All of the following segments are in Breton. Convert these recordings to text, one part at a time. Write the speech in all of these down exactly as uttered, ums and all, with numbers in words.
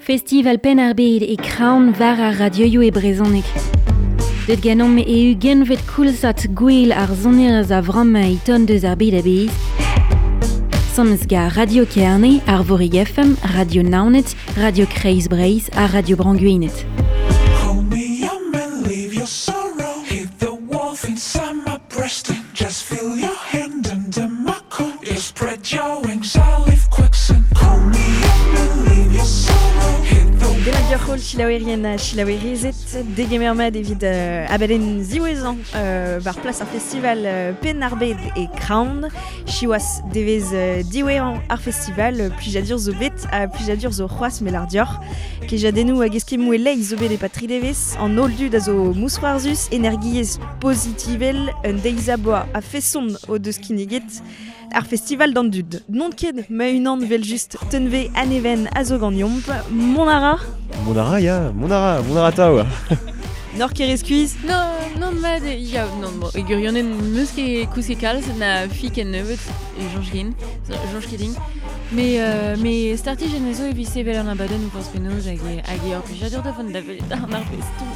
Festival Penn-ar-Bed e Kraon war ar radioioù e brezhoneg. Deut ganeomp e ugentvet koulzad gwell ar sonerezh a vremañ e ton deus ar bed a-bezh. Sammes gant Radio Kerne, Arvorig F M, Radio Naoned, Radio Kreiz Breizh ha Radio Bro-Gwened. Hold me up and leave your sorrow. Hit the wolf inside my breast and just feel your hand under my coat. You spread your wings, I'll leave quicksand. Call me up and leave your sorrow. Hit the Demat deoc'h holl selaouerien ha selaouerezed, degemer mat evit euh, abadenn ziwezhañ euh, war plas ar festival euh, Penn-ar-Bed e Kraon. Siwazh devezh euh, diwezhañ ar festival, euh, plijadur zo bet ha plijadur zo c'hoazh melar dioc'h. Kejadennoù hag eskemmoù e-leizh zo bet e-pad tri devezh, an holl dud a zo mousc'hoarzhus, energiezh pozitivel, un deiz a boa a feson o deus kinniget ar festival d'an dud. Non ket ma unan vel just tenve aneven a zo ganeomp. Mont a ra? Mont a ra, ya, mont a ra, mont a ra tav. Nor ket skuizh? Non, non, mat, ya, non, bon, e gwirionez n'eus ket kousket kalz, na fik en nebeut, e soñj ken, soñj ket din. Mais, euh, mais startijenn zo evit sevel an abadenn o forzh penaos hag e, hag e ur plijadur da vont da welet an arvestoù.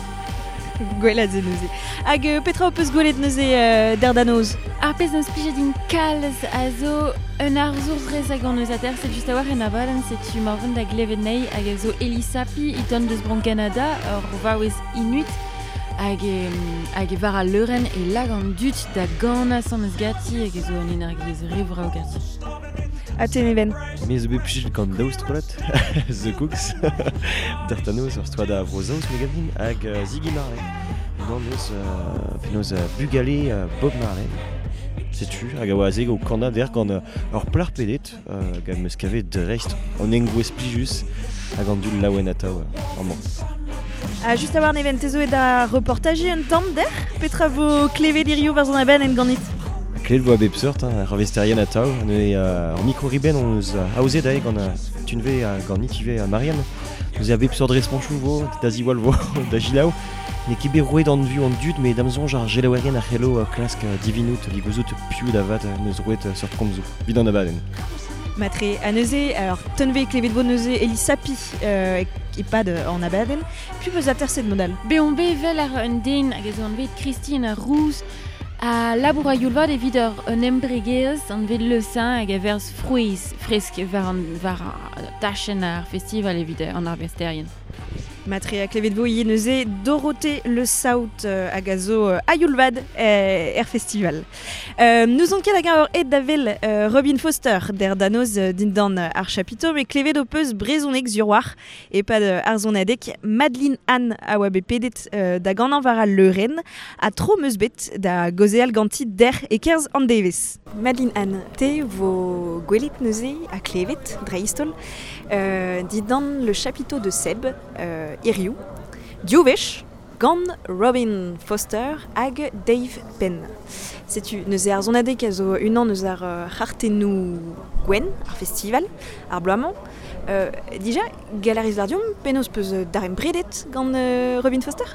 Gwelat ze neuze. Hag euh, petra ho peus gwelet neuze euh, der da noz? Ar pezh n'eus plijet din kalz a zo un arzour rez hag an eus ater, set just a-walc'h en abadenn, setu marvent da glevet nei hag a zo Elissapi e ton deus Bro Canada, ur vaouez inuit, hag e, hag e war al leurenn e lag an dud da ganañ sammes ganti hag e zo an energiezh re vrav ganti. Ha te Neven? Me zo bet plijet gant daou strollad, The Kooks, der da noz ur strollad a Vro-Saoz me gav din, hag euh, Ziggy Marley. Unan eus, euh, penaos, euh, bugale, euh, Bob Marley. Setu, hag a oa aze o kanañ der gant euh, ur plac'h pedet, euh, gant meus kavet dreist an engouez plijus hag an dud laouen atav, euh, amañ. Ha just a-walc'h Neven, te zo et da reportajiñ un tamm der? Petra vo klevet hiziv war zon abadenn en ganit? Klevet vo a bep seurt, hein, ar arvesterien atav. Neuze, euh, ar mikro-ribenn hon eus, euh, aozet aze gant, euh, Tunve, euh, gant nit ivez, euh, Marianne. Neuze a bep seurt responchoù vo, da ziwall vo, da gilaou. N'eo ket bet roet an view an dud, met da'm soñj ar selaouerien a c'hello, euh, klask, euh, divinout, ligouzout piv da vat, euh, neus roet, euh, seurt komzoù. Evit an abadenn. Matre a neuze, alors Tunve klevet vo neuze Elissapi, euh, e-pad, euh, an abadenn. Piv peus aterset modal? Bet on bet vel ar un den hag a zo anvet Christine Rouz a labour a youl vat evit ur un embregerezh anvet Le Saint hag a verz frouezh fresk war an, war ar tachenn ar festival evit an arvesterien. Matre a klevet vo ivez neuze Dorothée Le Saout, euh, hag a zo, euh, a youl vat, euh, er festival. Euh, nous on ket hag ur ed da vel, euh, Robin Foster der danoz, euh, dindan, euh, ar chapiteau, met klevet ho peus brezhoneg sur war e-pad, euh, ar zonadeg Madeline Anne a oa bet pedet, euh, da ganañ war al leurenn ha tro meus bet da gaozeal ganti der e-kerzh an devezh. Madeline Anne, te vo gwelet neuze ha klevet dreist-holl, euh, dindan le chapiteau de Seb, euh, hiziv, div wech, gant Robin Foster hag Dave Penn. Setu neuze ar zonadeg a zo unan eus ar, euh, c'hartennoù gwenn, ar festival, ar bloaz-mañ. Euh, dija, galeriz l'ardiom, penaos peus darempredet gant, euh, Robin Foster?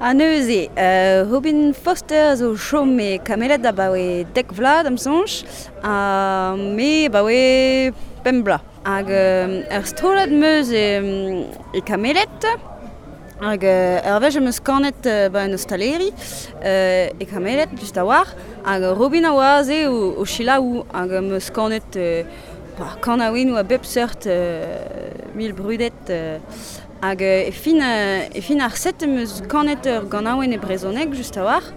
Ha neuze, euh, Robin Foster zo chom e Kameled abaoe dek vloaz da'm soñj, ha me abaoe pemp bloaz. Hag, euh, ur strollad 'm eus e, e Kameled, hag, euh, ur wech em eus kanet, euh, ba en ostaleri, euh, e Kameled, just a-walc'h, hag Robin a oa aze o, o selaou, hag em eus kanet, euh, ba, kanaouennoù a bep seurt, euh, mil brudet, euh, hag, euh, e fin, euh, e fin ar set em eus kanet ur ganaouenn e brezhoneg, just a-walc'h,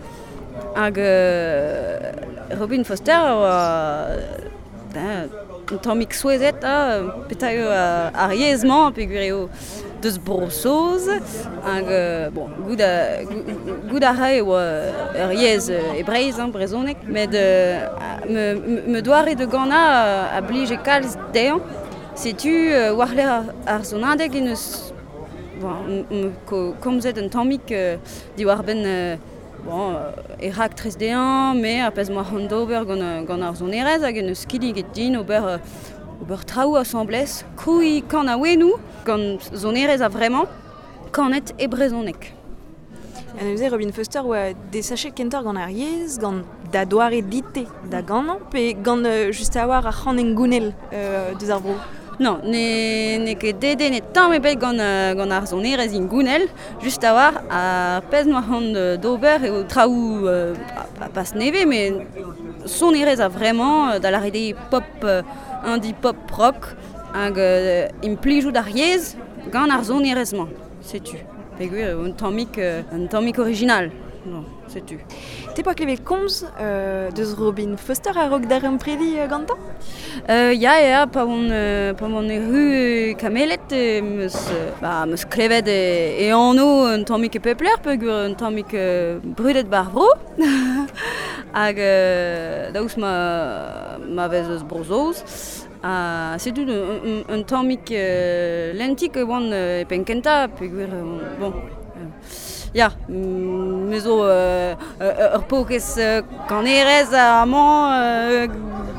hag, euh, Robin Foster a oa, ben, un tammig souezhet, ha, petra eo, euh, ar yezh-mañ, peogwir eo deus Bro-Saoz, hag, euh, bon, goût a, goût, goût a ra eo, euh, ur yezh, euh, e Breizh, hein, brezhoneg, met, euh, me, me, me doare de ganañ a, a blije kalz dezhañ. Setu, euh, war-lerc'h ar, ar sonadeg en eus, bon, m-, m-, ko-, komzet un tammig, euh, diwar-benn, euh, bon, euh, e raktres dezhañ, me ar pezh 'moa c'hoant d'ober gant, euh, gant ar sonerezh hag en eus kinniget din ober, euh, ober traoù asambles, krouiñ kanaouennoù gant sonerezh a vremañ, kanet e brezhoneg. Ha neuze Robin Foster oa desachet kentoc'h gant ar yezh, gant da doare dite da ganañ, pe gant, euh, just a-walc'h ar c'han engounel, euh, deus ar vro? Non, ne, ne ket dede ne tamm ebet gant, euh, gant ar sonerezh ingounel, just a war ar pezh noa c'hoant d'ober eo traoù euh, pa, pas neve, mais sonerezh a vraiment euh, da la rede pop, euh, indie pop rock, hag euh, implijout ar yezh gant ar sonerezh-mañ, setu. Peogwir un tammig, euh, un tammig original. Non, setu. Te poa klevet komz euh, deus Robin Foster a-raok d'ar predi euh, gantañ? Euh, ya, ya, pa on, euh, pa on erru kamelet, euh, meus, euh, ba, meus klevet e, e anv un tammig e pepler, peogwir un tammig euh, brudet bar vro. Hag euh, daoust ma, ma vez eus Bro-Saoz. Ha setu un, un, un tammig euh, lentik e oan euh, e penn kentañ, peogwir, euh, bon... Euh, Ya, me zo euh, euh, ur paourkaezh euh, kanerez amañ, euh,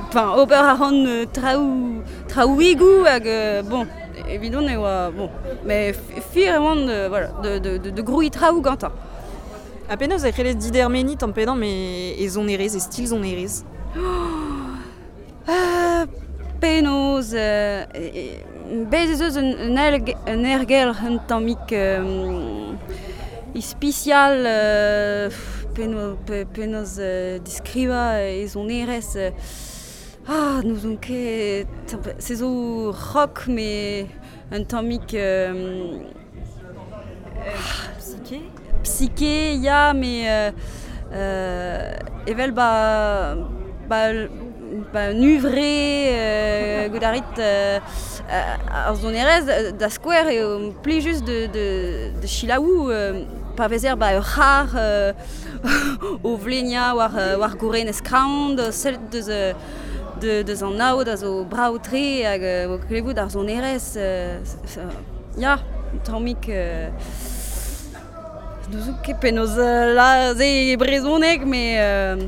enfin, ober a ran euh, traoù, traoùigoù hag euh, bon, evidon e oa, bon, mais fir e oan de, voilà, de, de, de, de grouiñ traoù gantañ. Ha penaos e c'hellez didermeniñ tamm pe damm e, e sonerezh, e stil sonerezh? Euh, penaos, euh, e, e, bez ez eus un, un, erg, un ergelc'h un tammig euh, ispisial euh, penaos, pe, penaos euh, diskrivañ e sonerezh euh, ah, n'ouzon ket se zo rock mais un tammig euh, Psyché? Psyché, ya, mais euh, euh, evel ba, ba, ba un uvre euh, goudarit euh, ar sonerezh da skouer eo plijus de, de, de chilaou euh, pa vezer ba ur c'har euh, o vlenia war, war gourenez kraoñ, sellet deus, de, deus an aod a zo brav-tre hag euh, o klevout ar sonerezh euh, ya, tammig euh, n'ouzon ket penaos la ze brezhoneg, mais euh,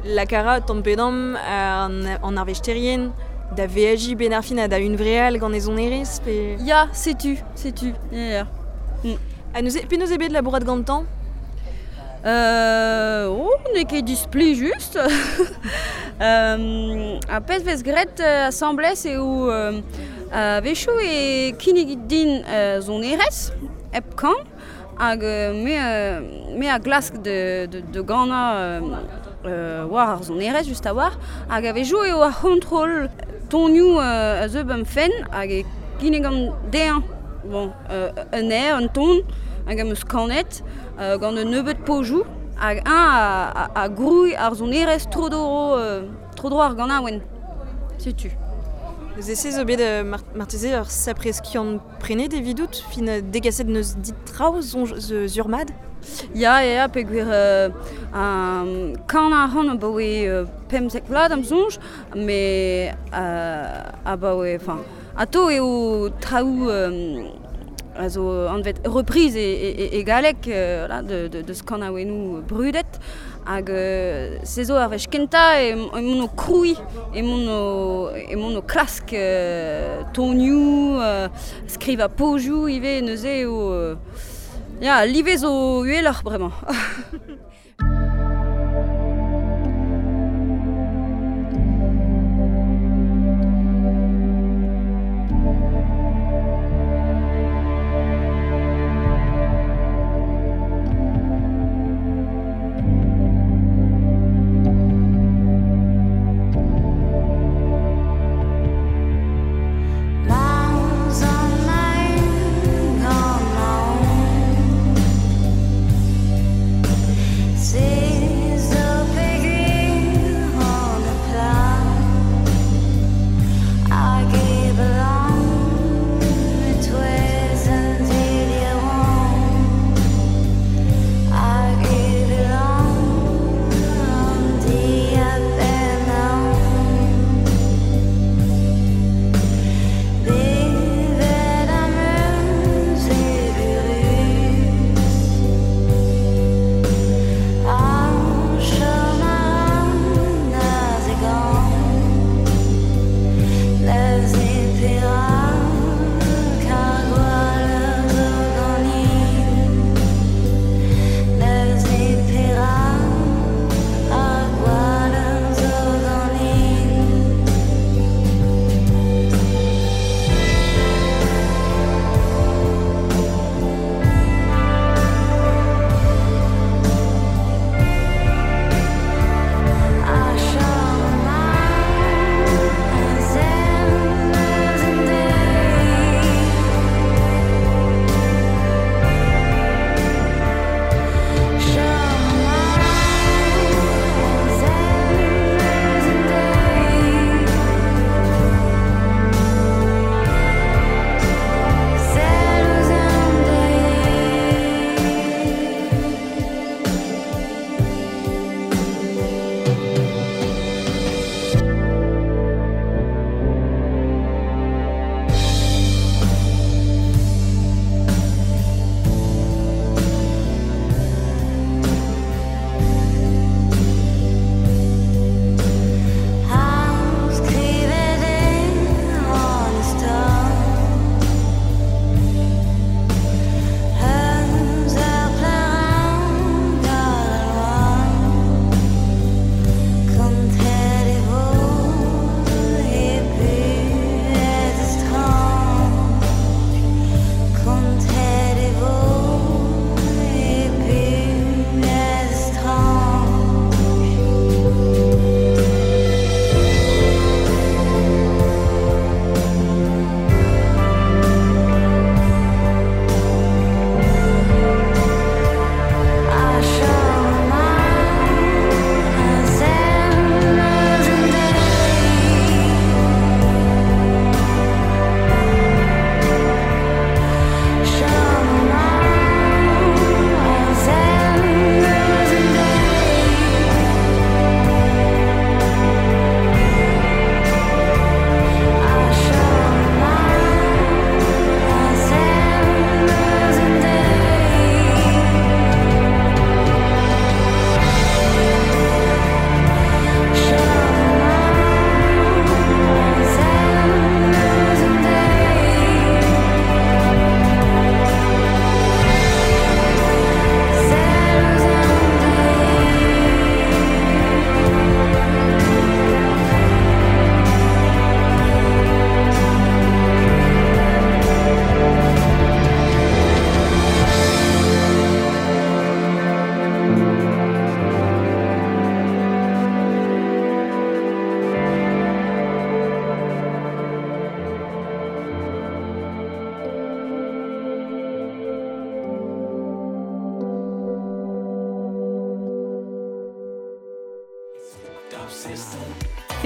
La kara tamm pe damm an, an arvesterien da veajiñ ben ar fin ha da hunvreal gant e sonerezh pe... Ya, setu, setu, ya, ya. Mm. Ha neuze, penaos eo bet labourat gantañ? Euh, oh, n'eo ket displijus. euh, ar pezh vez graet euh, asambles eo euh, a-wechoù e kinnig din euh, sonerezh, hep kan, hag euh, me, euh, me a glask de, de, de ganañ euh, euh, war ar sonerezh just a-walc'h, hag a-wechoù eo ar c'hontrol tonioù euh, a zeu ba'm fenn hag e kinnigan dezhañ bon, euh, un aer, un ton, hag am eus kanet euh, gant un nebeud pozioù, hag eñ a, a, a grouiñ ar sonerezh tro-dro, euh, tro-dro ar ganaouenn. Setu. Neuze se zo bet euh, mar marteze ur sapre skiant prenet evidout, fin euh, degaset neus dit traoù soñj sur-mat? Ya, ya, ya, peogwir euh, um, kan a ran abaoe euh, pemzek vloaz am soñj, mais euh, abaoe, enfin, atao eo traoù euh, a zo anvet reprise e, e, e galleg euh, voilà, de, de, deus kanaouennoù brudet, hag euh, se zo ar wech kentañ e, emaon o krouiñ, emaon o, emaon o klask euh, tonioù, euh, skrivañ pozioù ivez neuze eo... Euh, ya, live zo uheloc'h bremañ. Miles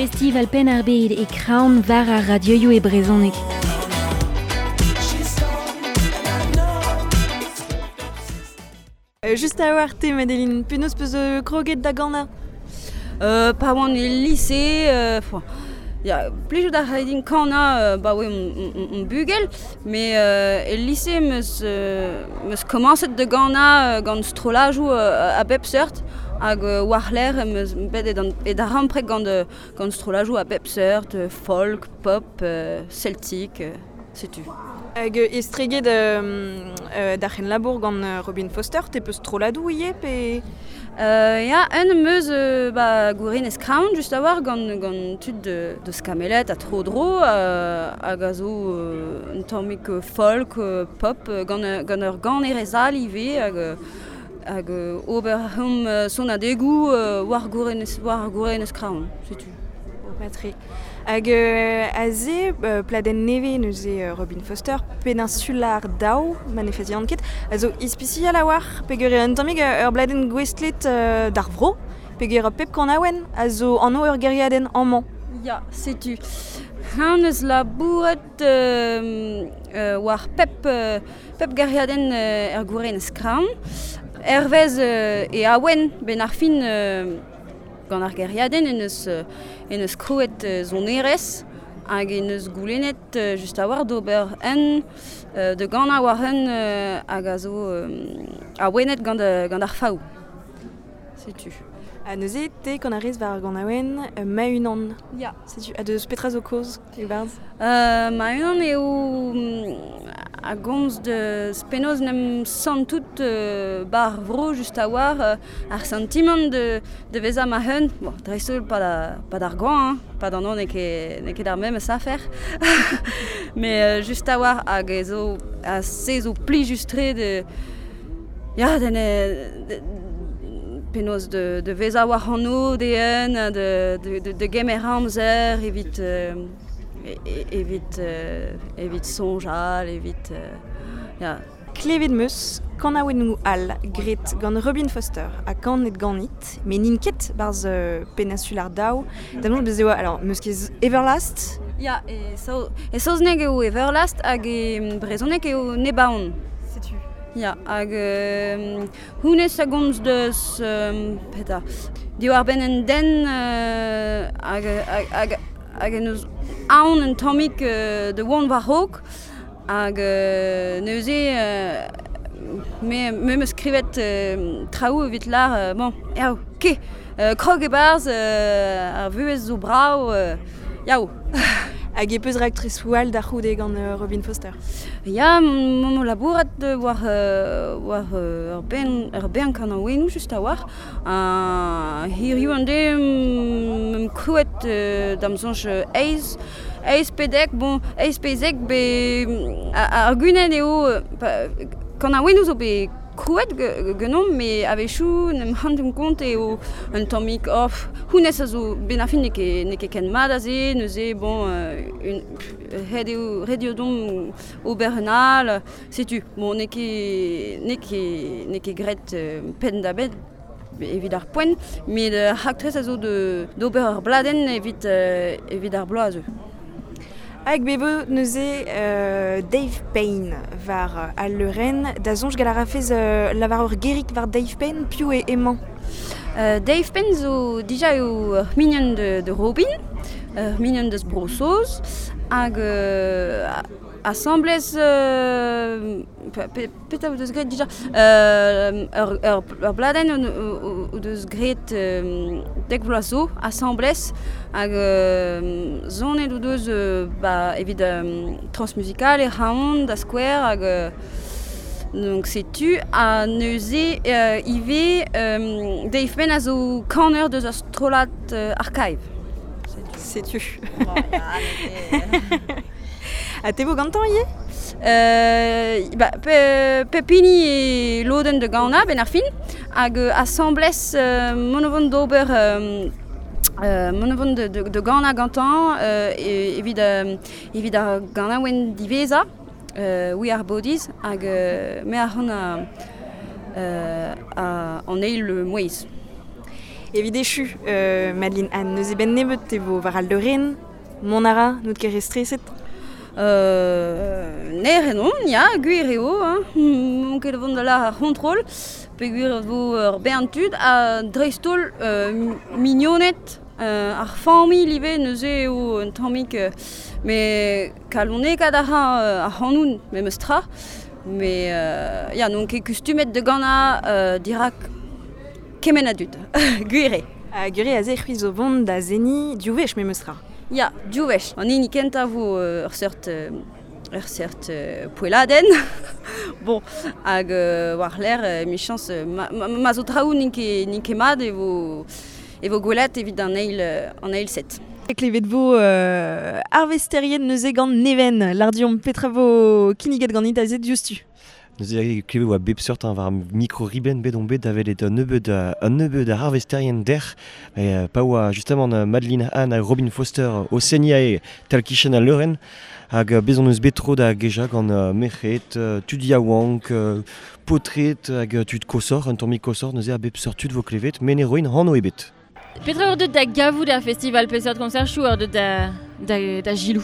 Festival Penn ar Bed e Kraon war ar radioioù e brezhoneg. Euh, just a war te, Madeleine, penaos peus euh, kroget da ganañ? Euh, pa oan e lycée, euh, ya, plijout a rae din kanañ euh, ba oe on, on, bugel, mais euh, e lycée meus, euh, meus komañset de ganañ euh, gant strollajoù euh, a bep seurt, hag euh, war-lerc'h meus bet e dan, e da rampreg gant, euh, gant strollajoù a bep seurt, euh, folk, pop, euh, celtique, euh, setu. Hag estreget euh, euh, da c'hen labour gant Robin Foster, te peus strolladoù ivez pe... Euh, ya, un meus euh, ba gourin Crown just a war gant, gant tud de, de skamelet a tro dro euh, hag a zo euh, un tammig folk, euh, pop, gant, gant ur gant erezal ivez hag, hag ober hom son adegoù euh, war gourin, war gourin Crown, setu. Patri. Hag euh, aze, euh, pladenn neve neuze euh, Robin Foster, Peninsular Daou, ma ne fazian ket, a zo ispisial a war, peogwir un tammig ur bladenn gouestlet euh, d'ar vro, peogwir pep kanaouenn a zo anv ur gêriadenn amañ. Ya, setu. Han eus labouret euh, euh, war pep, euh, pep gêriadenn euh, er gouren Kraon. Hervez euh, e awen ben ar fin euh, gant ar gêriadenn en eus, en eus krouet sonerezh hag en eus goulennet just a war d'ober un de gant a war un hag a zo awenet gant, gant ar faou. Setu. Ha neuze te gant ar rez war gant awen ma-unan. Ya. Setu. Ha deus petra zo kaoz e barzh? Euh, ma-unan eo a gomz de penaos n'em santout euh, bar vro just a war euh, ar sentiment de, de vezañ ma hun. Bon, dreist-holl pa da, pa d'ar gant, hein, pa d'an an n'eo ket, n'eo ket ar memes afer. Mais euh, just a war hag e zo a se zo plijus-tre de... Ya, den de, penaos de, de vezañ war anv de un, de, de, de, de gemer amzer evit... Euh, evit, euh, evit soñjal, evit... Euh, ya. Klevet meus, kanaouennoù all gret gant Robin Foster ha kanet ganit, met n'int ket barzh euh, Peninsular Daou, da mont bez eo, alors, meus ket Everlast? Ya, e, sao, e saozneg eo Everlast hag e brezhoneg eo Nebaon. Setu. Ya, hag euh, hounnezh a gomz deus, euh, peta, diwar benn en den euh, hag, hag, hag, hag en eus aon un tammig euh, de oan war-raok hag euh, neuze euh, me, me meus skrivet euh, traoù evit lar euh, bon, yaou, ke, euh, krog e-barzh euh, ar vuhez zo brav, euh, yaou. Hag e peus raktresoù all da c'houde gant euh, Robin Foster? Ya, m'on labourat war, euh, war euh, ur ben, ur bern kanaouennoù just a war. Uh, hiriv an de m'em krouet euh, da'm soñj eizh, eizh pedek, bon, eizh pezek be ar gunen eo kanaouennoù zo bet krouet genomp, met a-wechoù n'em c'hantomp kont eo un tammig off. Hounnezh a zo ben ar fin n'eo ket, n'eo ket ken mat aze, neuze, bon, euh, un, ret eo, ret eo domp ober un all, setu. Bon, n'eo ket, n'eo ket, n'eo ket graet euh, penn da benn evit ar poent, met euh, raktres a zo de, d'ober ur bladenn evit, euh, evit ar bloaz zo. Hag bevo neuze euh, Dave Payne war euh, al leurenn, da soñj gall a rafez euh, lavar ur gerik war Dave Payne, piv eo emañ? Euh, Dave Payne zo dija eo ur mignon de, de Robin, ur mignon deus Bro-Saoz, hag euh, asamblez euh, pe, petra o deus graet dija euh, ur, ur, ur bladenn o, o deus graet euh, dek vloaz zo asamblez hag euh, zonet o deus euh, ba, evit euh, transmusical e Raon da skouer hag euh, donc setu ha neuze euh, ivez euh, Dave Payne a zo kaner deus ur strollad euh, archive. Setu. Ha te vo gantañ ivez? Euh, ba, pe, pepini e lodenn de ganañ ben ar fin hag asamblez euh, mont o vont d'ober euh, euh, mont o vont de, de, de ganañ gantañ euh, evit, euh, evit ar ganaouenn diwezhañ euh, We Are Bodies hag euh, me a ran a, euh, a, an eil mouezh. Evit echu, euh, Madeline Anne, neuze ben nebeut te vo war al leurenn, mont a ra, n'out ket re streset? Euh, ner enon, ya, gwir eo, hein. Mon ket vont da la ar c'hontrol, pe gwir vo ur bern tud, ha dreist-holl euh, mignonet, euh, ar familh ivez neuze eo un tammig, euh, mais kalonekaat a ra euh, ar c'hanoun memes tra, mais euh, ya, n'on ket kustumet de gana euh, dirak kement a dud, gwir eo. Ha gwir eo aze c'hwi zo vont da zeni div wech memes tra. Ya, div wech. An hini kentañ vo euh, ur seurt, euh, ur seurt euh, poelladenn. Bon, hag euh, war l'air, euh, michañs, euh, ma, ma, ma zo traoù n'int ket, n'int ket mat e vo, e vo gwelet evit an eil, euh, an eil set. Klevet vo euh, arvesterien neuze gant Neven, l'ardion petra vo kinniget ganit aze diouzhtu. Neuze klevet oa bep seurt hein, war micro riben bet on bet da welet un nebeud un nebeud ar arvesterien der e, pa oa justement Madeline Anne ha Robin Foster o seniñ tal kichen al leurenn hag bez on eus bet tro da geja gant uh, merc'hed, uh, tud yaouank, uh, paotred hag tud kosor, un tammig kosor, neuze a bep seurt tud vo klevet, men e roin hanv ebet. Petra ur deut da gavout ar festival peseurt concert chou ur deut da, da, da gilou?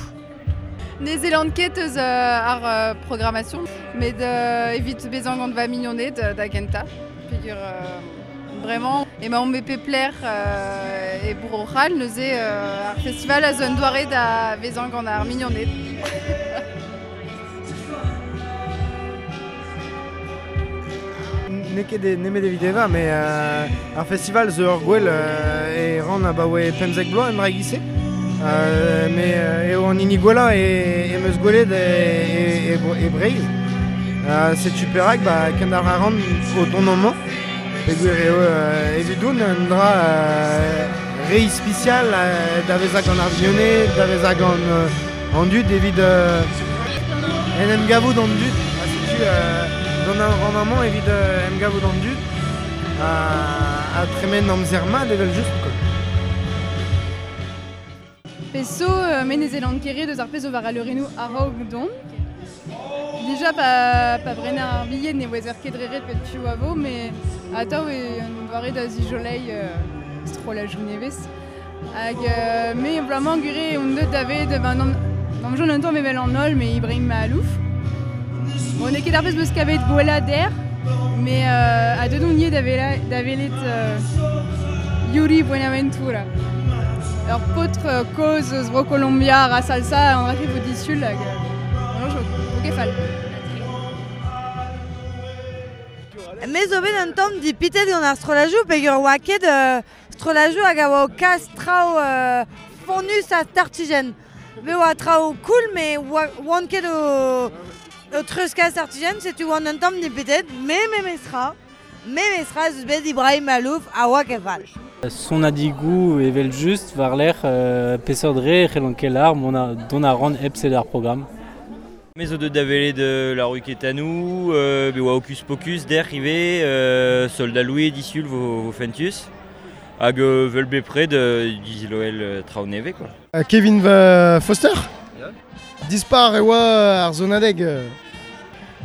Ne zelan ket eus euh, ar euh, programmation, met euh, evit bezañ gant va mignoned euh, da gentañ. Peogwir euh, vraiment emaomp e pep lec'h euh, e Bro-C'hall, neuze euh, ar festival a zo un doare da vezañ gant ar mignoned. N'eo ket nemet evit evañ, mais euh, ar festival zo ur gwell euh, e ran abaoe pemzek bloaz en dra e-giz-se. Euh, mais euh, eo an hini gwellañ e, e meus gwelet e, e, e, e Breizh. Euh, setu perak, ba, kendalc'h a ran o don amañ. Peogwir eo euh, evidoun un dra euh, re ispisial euh, da vezañ gant ar vignoned, da vezañ gant euh, an dud evit euh, en em gavout an dud. Ha setu euh, don a ran amañ evit euh, em gavout an dud a, a tremen amzer mat evel just quoi. Peso euh, me ne zelan ket re deus ar pezh zo war al leurennoù a-raok don. Dija pa, pa brener ar bilhed ne ouezer ket dre ret pet piv a vo, mais atav e un doare da zijoleiñ euh, strollajoù nevez. Hag euh, me bloaz-mañ gwir on deut da vet, ben, n'am, n'am joun un tamm evel an holl, mais Ibrahim Maalouf. Bon, n'eo ket ar pezh meus kavet gwellañ der, mais euh, a deut on ivez da vela, da welet euh, Yuri Buenaventura. Ur paotr euh, kozh eus Bro-Kolombia a salsa an rafe vo disul hag euh, jo, o ket fall. Me zo bet un tamm dipitet gant ar strollajoù peogwir oa ket euh, strollajoù hag a oa o kas traoù euh, fonnus ha startijenn. Me oa traoù cool, mais oa, oan ket o, o treuzkas startijenn, setu oan un tamm dipitet, me memestra, memestra ez eus bet Ibrahim Maalouf a oa ket fall. Son adigou evel just war l'er euh, peseurt dre c'hellon ket lar mont a don a ran hep sed ar programm. Me zo deut da welet euh, la rue Ketanou, euh, be oa Hocus Pocus der ivez, euh, Soldat Louis disul vo, vo fentus. Hag euh, vel bepred euh, diziloel euh, traoù nevez quoi. Euh, Kevin euh, Foster yeah. Dispar e oa ar zonadeg.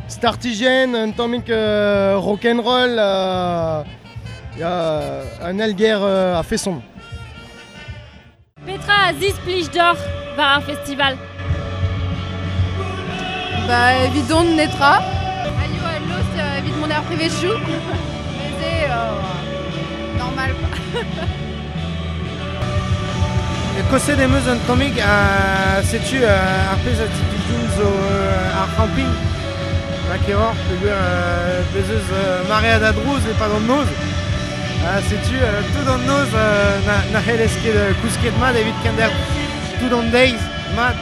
Startijenn, un tammig euh, rock'n'roll, euh, ya un elger euh, a feson. Petra a zisplij d'or war ar festival? Ba, evit don netra. Aio a lost euh, evit mont ar privezioù. Neuze, euh, normal quoi. Koset em eus un tammig a setu euh, ar pezh a zisplij zo euh, ar camping. Ma keroc'h peogwir euh, bez eus euh, maread a drouz e pad an noz. Uh, setu euh, tout an noz euh, na, na c'hellez ket euh, kousket mat evit kender tout an deiz mat.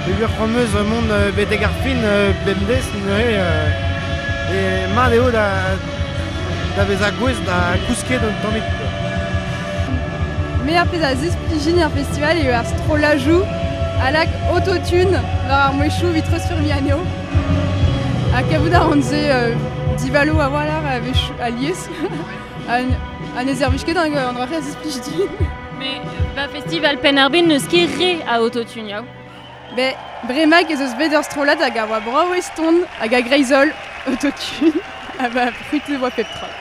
Peogwir c'hoant meus mont euh, betek ar fin euh, bemdez neuze euh, e mat eo da, da vezañ gouez da kousket un tammig quoi. Me ar pezh a zisplijin ar festival eo ar strollajoù a lak autotune war ar mouezhioù evit treuzfurmiñ anezho. Ha kavout a ran se euh, divalo a-walc'h a-wechoù alies. An, an ez ervij ket an, an dra a zisplij din. Mais ba festival Penn-ar-Bed n'eus ket re a autotune, yaou. Be, bremaik ez eus bet ur strollad hag a oa brav eston hag a greiz-holl autotune. Ha ba fruit e oa pep tra.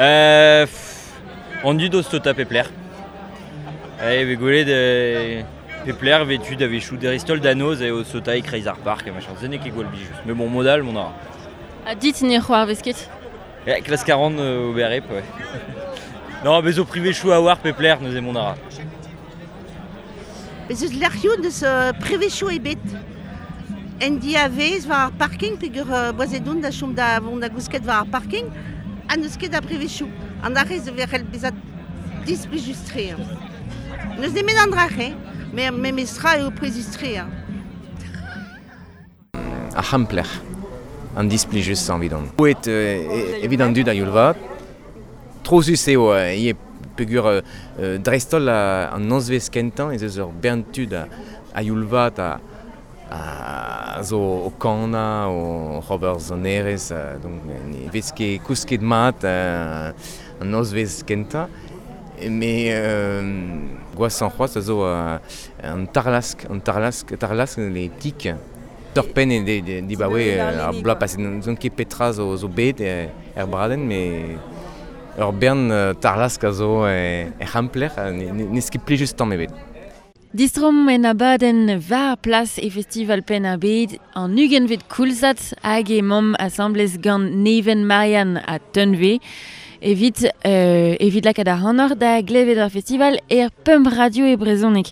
Euh, pff, An dud o stota pepler. E ve gwelet euh, pepler ve tud a vechou deristol danoz e o stota e kreiz ar park, machin, se n'eo ket gwall blijus. Mais bon, modal, mon ara. A dit ne c'hoar vesket? E, klas quarante euh, o berrep, ouais. Non, bezo privé chou a war pepler, neuze mon ara. Bez eus lec'hioù deus uh, privechoù ebet. En diavez war ar parking, peogwir uh, boazedoun da chom da vont da gousket war ar parking, ha n'eus ket a privechoù. An arrez verrel bezat displijustre. N'eus nemet an drache, me memestra eo prezustre. Ar c'hampler, an displijus an vidon. Oet euh, evit an dud a youlvat, trozus eo euh, ie peogwir euh, dreistol an nozvez kentañ ez eus ur bern tud a, a youlvat a, a zo o kana, o Robert Zonerez, donc ne vez ket kousket mat euh, an nozvez kentañ. Mais euh, gwasan c'hoazh a zo euh, an tarlask, an tarlask, tarlask les tik. Torpen e de, de, di baoe ar bloaz paset n'on ket petra zo, zo bet er, er bradenn, mais ur bern tarlask a zo e, e c'hampler, n'eus ket plijus tamm ebet. Distrom en abadenn war plas e festival Penn ar Bed an ugentvet koulzad hag e mamm asamblez gant Neven Marianne a Tunve evit, euh, evit lakaat ar c'hanoc'h da glevet ar festival er pemp radio e brezhoneg.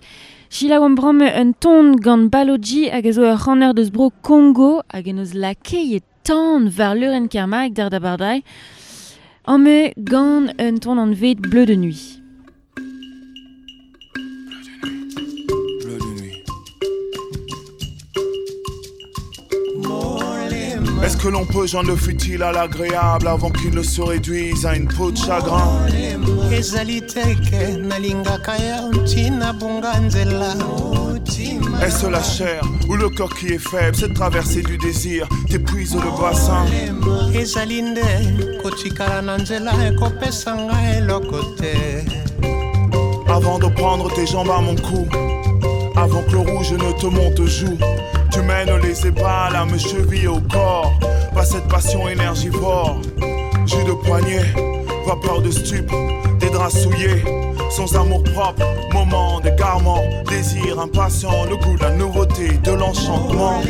Selaou an bramm un ton gant Baloji hag a zo ur c'haner deus bro Kongo hag en eus lakeiet tan war leurenn Kermark d'ar da bardai. An me gant un ton an vet bleu de nuit. Bleu de nuit. Est-ce que l'on peut joindre le futile à l'agréable avant qu'il ne se réduise à une peau de chagrin? Est-ce la chair ou le corps qui est faible? Cette traversée du désir t'épuise le bassin. Avant de prendre tes jambes à mon cou, avant que le rouge ne te monte aux joues, tu mènes les ébats, l'âme cheville au corps. Pas cette passion énergivore. Jus de poignet, vapeur de stupe, des draps souillés, sans amour propre, moment d'égarement, désir impatient, le goût de la nouveauté, de l'enchantement.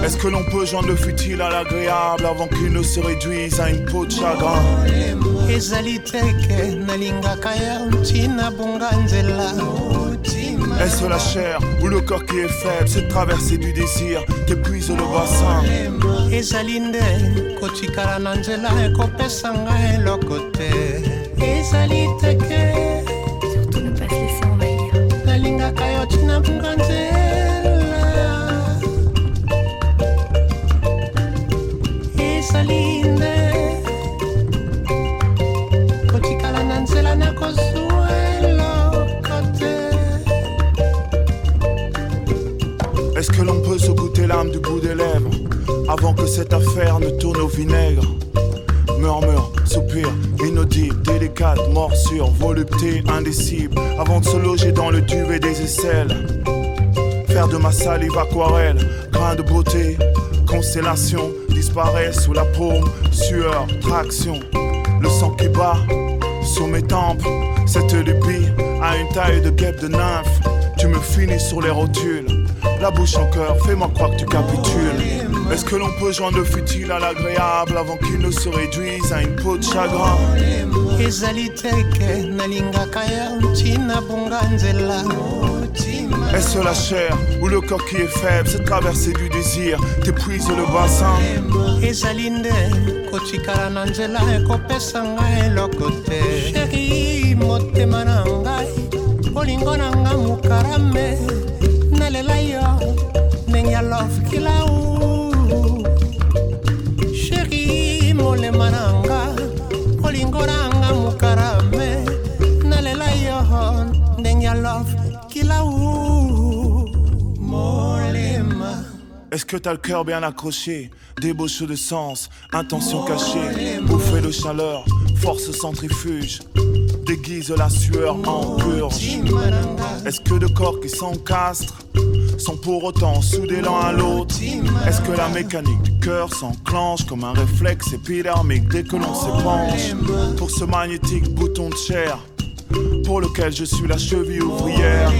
Est-ce que l'on peut joindre le futile à l'agréable avant qu'il ne se réduise à une peau de chagrin? Est-ce la chair ou le corps qui est faible? Cette traversée du désir t'épuise le bassin. Surtout ne pas se laisser envahir. Est-ce que l'on peut se goûter l'âme du bout des lèvres avant que cette affaire ne tourne au vinaigre? Murmure, soupir, inaudible, délicate, morsure, volupté indicible, avant de se loger dans le duvet des aisselles. Faire de ma salive aquarelle, grain de beauté, constellation, disparaît sous la paume, sueur, traction, le sang qui bat sur mes tempes, cette lubie a une taille de guêpe de nymphe. Tu me finis sur les rotules, la bouche en cœur, fais-moi croire que tu capitules. Est-ce que l'on peut joindre le futile à l'agréable avant qu'il ne se réduise à une peau de chagrin? Est-ce la chair ou le corps qui est faible? Cette traversée du désir t'épuise le bassin. Est-ce que t'as le cœur bien accroché? Débauche de sens, intention cachée, bouffée de chaleur, force centrifuge, déguise la sueur en purge. Est-ce que deux corps qui s'encastrent sont pour autant soudés l'un à l'autre? Est-ce que la mécanique du cœur s'enclenche comme un réflexe épidermique dès que l'on s'épanche? Pour ce magnétique bouton de chair, pour lequel je suis la cheville ouvrière.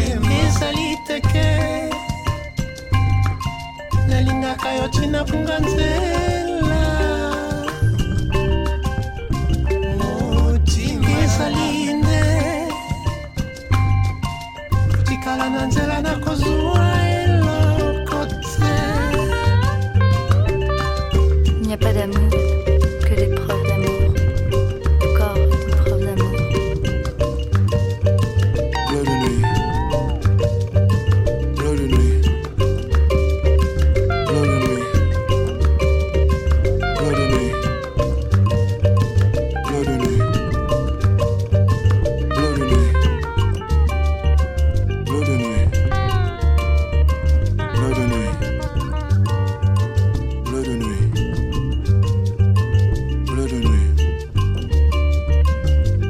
Il n'y a pas d'amour que des preuves d'amour. Encore des preuves d'amour. Bleu de nuit. Bleu de nuit. Bleu de nuit. Bleu de nuit. Bleu de nuit. Bleu de nuit. Bleu de nuit. Bleu de nuit. Bleu de nuit.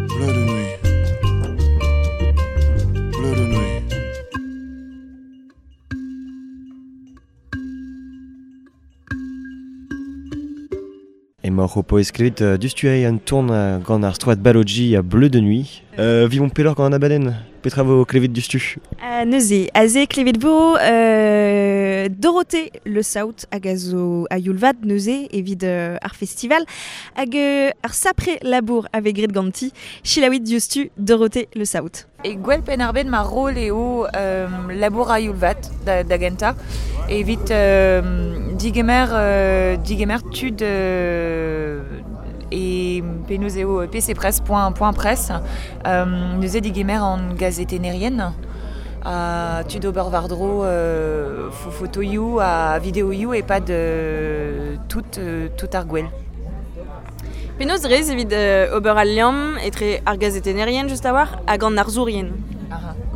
Bleu de nuit. Bleu de nuit. Bleu de nuit. Emaoc'h o paouez klevet uh, dustuei an tourn uh, gant ar stroad Baloji a Bleu de Nuit. Euh, vivomp peloc'h gant an abadenn. Petra vo klevet dustu? Uh, neuze, aze klevet vo euh, Dorothée Le Saout hag a zo a youlvad neuze evit euh, ar festival hag euh, ar sapre labour ave gret ganti Chilaouit diouzhtu Dorothée Le Saout. E gwell penn ar bed ma rol eo euh, labour a youlvat da, da genta evit euh, digemer, euh, digemer tud euh, e penaos eo pcpress point point presse euh, neuze digemer an gazetennerien a tud ober war-dro euh, fo fotoioù ha videoioù e pad euh, tout, euh, tout ar gwell. Penaos rez evit euh, ober al liamm etre ar gazetennerien just a-walc'h hag an arzourien.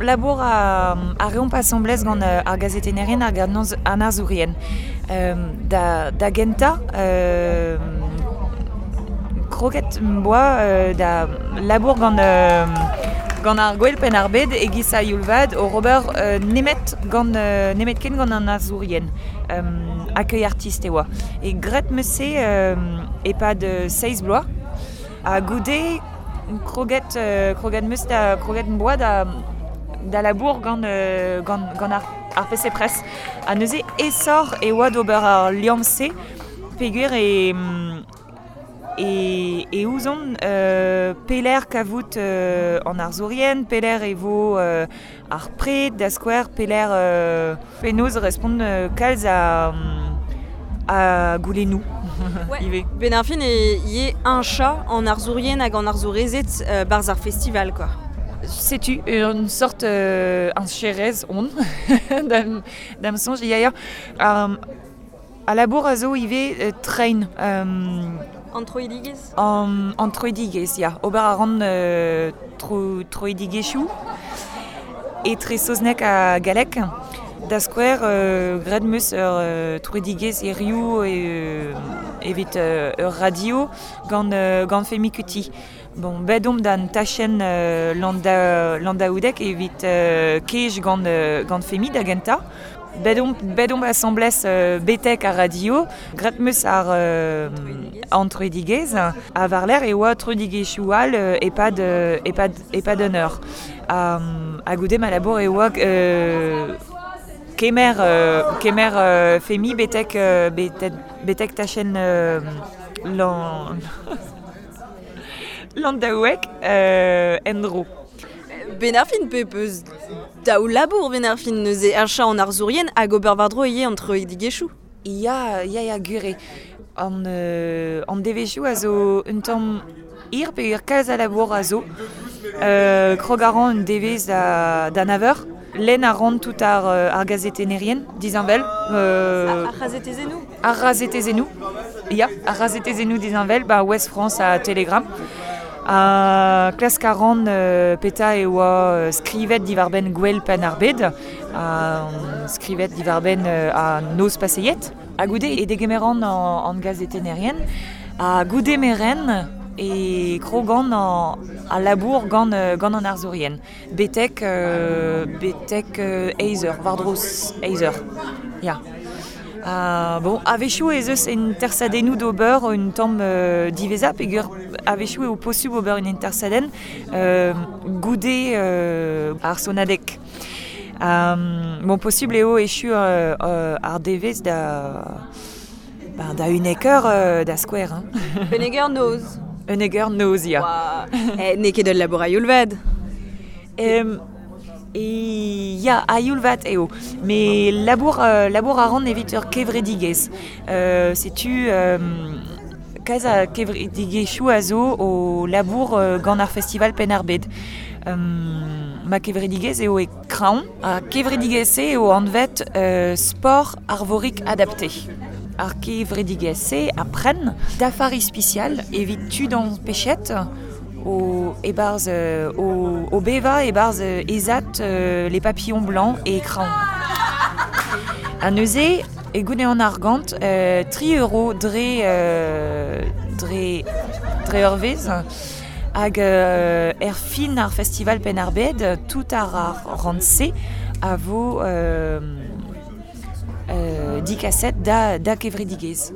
Labour a, a reomp asamblez gant euh, ar gazetennerien hag an an arzourien. Euh, da, da genta, euh, kroget 'm boa euh, da labour gant, euh, gant ar gwell penn ar bed e-giz a youlvad o ober euh, nemet gant euh, nemet ken gant an arzourien. Euh, accueil artiste e oa. E gret 'meus se euh, e-pad euh, seizh bloaz. Ha goude kroget, euh, kroget 'meus da kroget 'm boa da da labour gant, euh, gant, gant ar, ar P C Press. Ha neuze aesoc'h e oa d'ober ar liamm-se peogwir e, e, e ouzon euh, pelec'h kavout euh, an arzourien, pelec'h e vo euh, ar pred da skouer, pelec'h euh, penaos respont euh, kalz a, a goulennoù. Ouais. Ben ar fin e ivez un chat en arzourien hag an arzourezed euh, barzh ar festival quoi. Setu une sorte euh, un cherez on da'm, da'm soñj ya ya. Um, a labour a zo ivez euh, train euh, An troidigezh? An, an troidigezh, ya. Ober a ran euh, tro, troidigezhioù etre saozneg ha galleg. Da skouer, euh, graet 'meus ur euh, troidigezh hiziv e, euh, evit euh, ur radio gant, euh, gant Femi Kuti. Bon, bet omp d'an tachenn euh, landa, landaoudek evit euh, kej gant, euh, gant Femi da gentañ. Bet omp, bet omp asambles euh, betek ar radio, graet 'meus ar euh, an troidigezh, ha war-lerc'h e oa troidigezhioù all euh, e-pad, euh, e-pad, e-pad un eur. Um, ha goude ma labour e oa euh, kemer, euh, kemer euh, Femi betek, euh, betek, betek tachenn euh, lan... Landaouek euh, en-dro. Ben ar fin pe peus daou labour ben ar fin neuze un chat en arzourien hag ober war-dro ivez an troidigezhioù. Ya, ya, ya, gwir eo. An, euh, an devezhioù a zo un tamm hir peogwir kalz a labour a zo. Euh, krog a ran un devezh da, da nav eur. Lenn a ran tout ar, euh, ar gazetennerien, disheñvel. Euh, Ar c'hazetezennoù? Ar c'hazetezennoù. Ya, ar c'hazetezennoù disheñvel, ba Ouest France ha Telegram. Ha klask a ran euh, petra e oa euh, skrivet diwar-benn gwell penn ar bed, ha skrivet diwar-benn euh, a noz paseiet. Ha goude e degemeran an, an gazetennerien, ha goude merenn e krogan an, a labour gant, euh, gant an arzourien. Betek, euh, betek euh, eizh eur, war-dro eizh eur. Ya. Uh, bon, a-wechoù ez eus en tersadennoù d'ober un tamm euh, diveza, peogwir a-wechoù eo posubl ober un intersadenn euh, goude euh, ar sonadeg. Um, bon, posubl eo echu euh, euh, ar devezh da, ba, da unnek eur euh, da skouer. Hein. Unnek eur noz. Unnek eur noz, ya. Eh, n'eo ket ul labour a-youl vat. Um, E ya, a-youl vat eo. Me labour, euh, labour a ran evit ur kevredigezh. Euh, setu euh, kalz a kevredigezhioù a zo o labour euh, gant ar festival Penn-ar-Bed. Um, ma kevredigezh eo e Kraon. Ar kevredigezh-se eo anvet euh, sport arvorik adapté. Ar kevredigezh-se a pren dafar ispisial evit tud an pechet o e-barzh euh, o, o beva e-barzh euh, ezat euh, les papillons blancs e Kraon. Ha neuze, e goude an argant, euh, tri euro dre, euh, dre, dre eurvezh, hag euh, er fin ar festival Penn-ar-Bed, tout ar ar rant-se a vo euh, euh, dikaset da, da kevredigezh.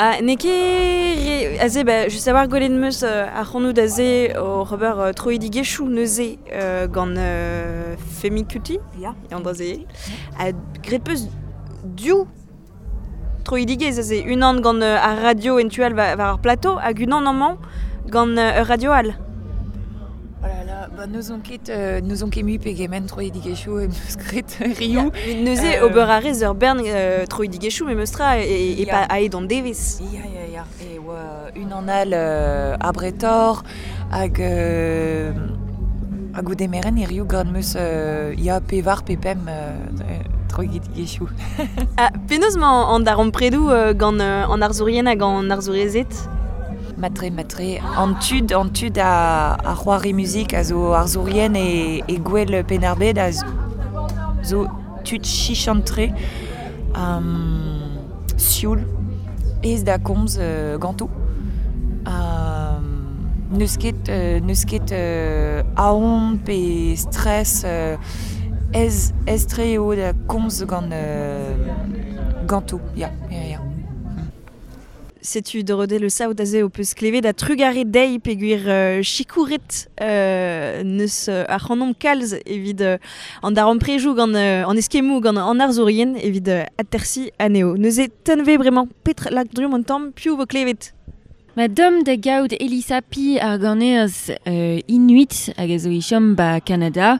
Ah, n'eo ket re... Aze, ba, just a-walc'h gwelet 'm eus euh, ar c'hanoù aze o ober euh, troidigezhioù neuze euh, gant euh, Femi Kuti, Ya. an dra-se. Ha graet 'peus div troidigezh aze, unan gant euh, ar radio en tu all war, war ar plateau hag unan amañ gant euh, ur radio all. Oh là là, ba n'ouzon ket, euh, n'ouzon ket mui pegement troidigezhioù em eus graet rioù. Neuze Euh, ober a rez ur bern euh, troidigezhioù memes tra e, e Ya. pa aet an devezh. Ya, ya, ya. E oa unan all euh, a Bretor hag euh, hag goude merenn e rioù graet 'm eus euh, ya pevar pe pemp euh, troidigezhioù. Ah, penaos 'mañ an darempredoù euh, gant euh, an arzourien hag an arzourezed? Matre, matre, an tud, an tud a, a c'hoari muzik a zo arzourien e, e gwell Penn-ar-Bed a zo tud chichantre um, sioul, ez da komz euh, ganto. Um, n'eus ket, euh, n'eus ket euh, aon pe stress euh, ez, ez tre eo da komz gant euh, ganto, ya, ya, ya. Setu Dorothée Le Saout aze o peus klevet a trugare dezhi peogwir euh, sikouret euh, neus euh, ar c'hanomp kalz evit euh, an darempredoù gant euh, an eskemmoù gant an arzourien evit euh, atersi anezho. Neuze tenve bremañ petra lak drumm an tamm piv vo klevet. Ma dom da gaout Elisa Pi ar ganerez euh, Inuit hag a zo e chom ba Kanada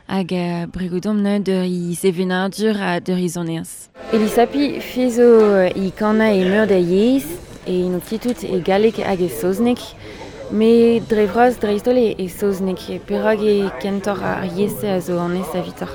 hag a bregodom neuze d'ur i sevenadur ha d'ur i sonerezh. Elisa Pi fe zo i kana e meur da yezh e ino tout e galleg hag e saozneg, me dre vras dreist-holl e, e saozneg, perak e kentoc'h ar yezh a zo anez evitoc'h.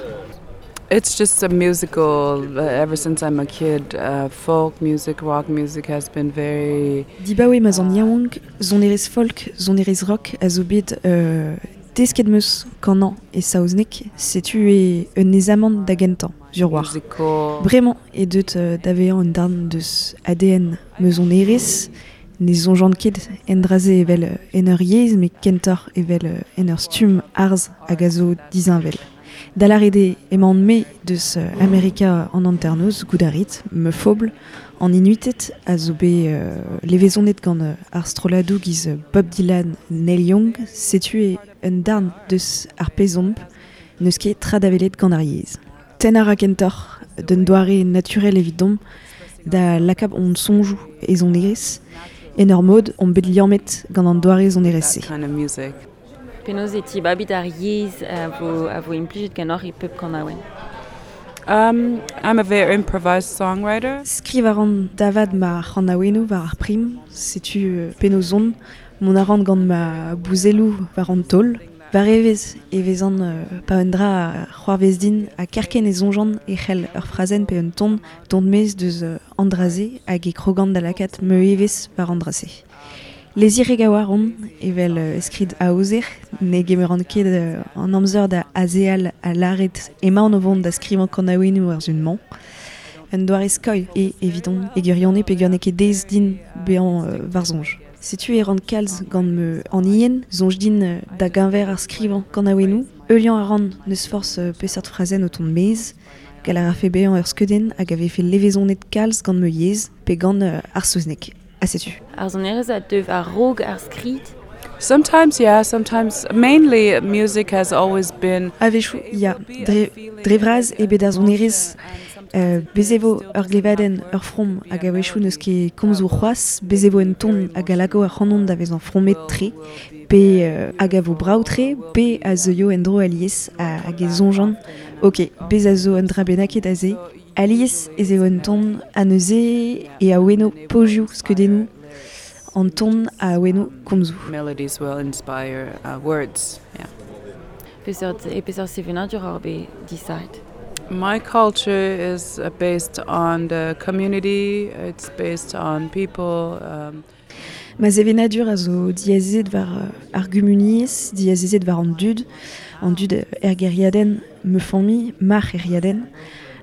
It's just a musical, uh, ever since I'm a kid, uh, folk music, rock music has been very... Dibaoe ma 'z on yaouank, sonerezh folk, sonerezh rock a zo bet euh, desket 'm eus kanañ e saozneg, setu e un aezamant da gentañ, sur war. Musical. Bremañ e deut euh, da vezañ un darn deus A D N ma sonerezh, ne soñjan ket en dra-se evel euh, en ur yezh, met kentoc'h evel euh, en ur stumm arz hag a zo disheñvel. Da lâret eo emaon-me deus euh, Amerika an hanternoz, goudarit, me fobl, an Inuited a zo bet euh, levezonet gant euh, ar strolladoù giz Bob Dylan, Neil Young, setu e un darn deus ar pezh omp, n'eus ket tra da welet gant ar yezh. Tennañ a ra kentoc'h d'un doare naturel evidomp da lakaat hon soñjoù e sonerezh, en ur mod omp bet liammet gant an doare sonerezh-se. That kind of music. Penaos e tibabit ar yezh a vo, a vo implijet ganeoc'h e pep kanaouenn. Um, I'm a very improvised songwriter. Skriv a ran davad ma c'hanaouennoù war ar prim, setu euh, penaos on, mont a ran gant ma bouzelloù war an taol. War evezh e vezan euh, pa un dra a c'hoarvez din ha kerkent e soñjan e c'hell ur frazenn pe un ton dont maez deus euh, an dra-se hag e krogan da lakaat ma evezh war an dra-se. Lezirek a-walc'h on, evel euh, skrid aozer, ne gemeran ket euh, an amzer da azeal a lâret emaon o vont da skrivañ kanaouennoù ar sun-mañ. Un doare skoilh e evidon e gwirionez peogwir n'eo ket aes din bezañ euh, war soñj. Setu e ran kalz gant ma anien, soñj din euh, da geñver ar skrivañ kanaouennoù, heuliañ a ran n'eus forzh euh, peseurt frazenn o tont maez, Gall a rafe bezañ ur skeudenn hag a vefe levezonet kalz gant ma yezh pe gant euh, ar saozneg. Ha setu. Ar sonerezh a deu a-raok ar skrid? Sometimes, yeah, sometimes. Mainly, music has always been... A-wechoù, ya, dre, dre vras eo bet ar sonerezh. Euh, bez e vo ur glevadenn, ur from hag a-wechoù n'eus ket komzoù c'hoazh, bez e vo un ton hag a lako ar c'hanon da vezañ fromet-tre, pe euh, hag a vo brav-tre, pe a zeuio en-dro alies hag e soñjan. Ok, bez a zo un dra bennaket aze. Alies ez eo un ton a neuze e a-weno pozioù skeudennoù, an ton a aweno komzoù. Melodies will inspire uh, words, yeah. Peseurt, e peseurt sevenadur ar bet disaet? My culture is uh, based on the community, it's based on people. Um, Ma sevenadur a zo diazezet war uh, ar gumuniezh, diazezet war an dud, an dud er gêriadenn me familh, mar gêriadenn,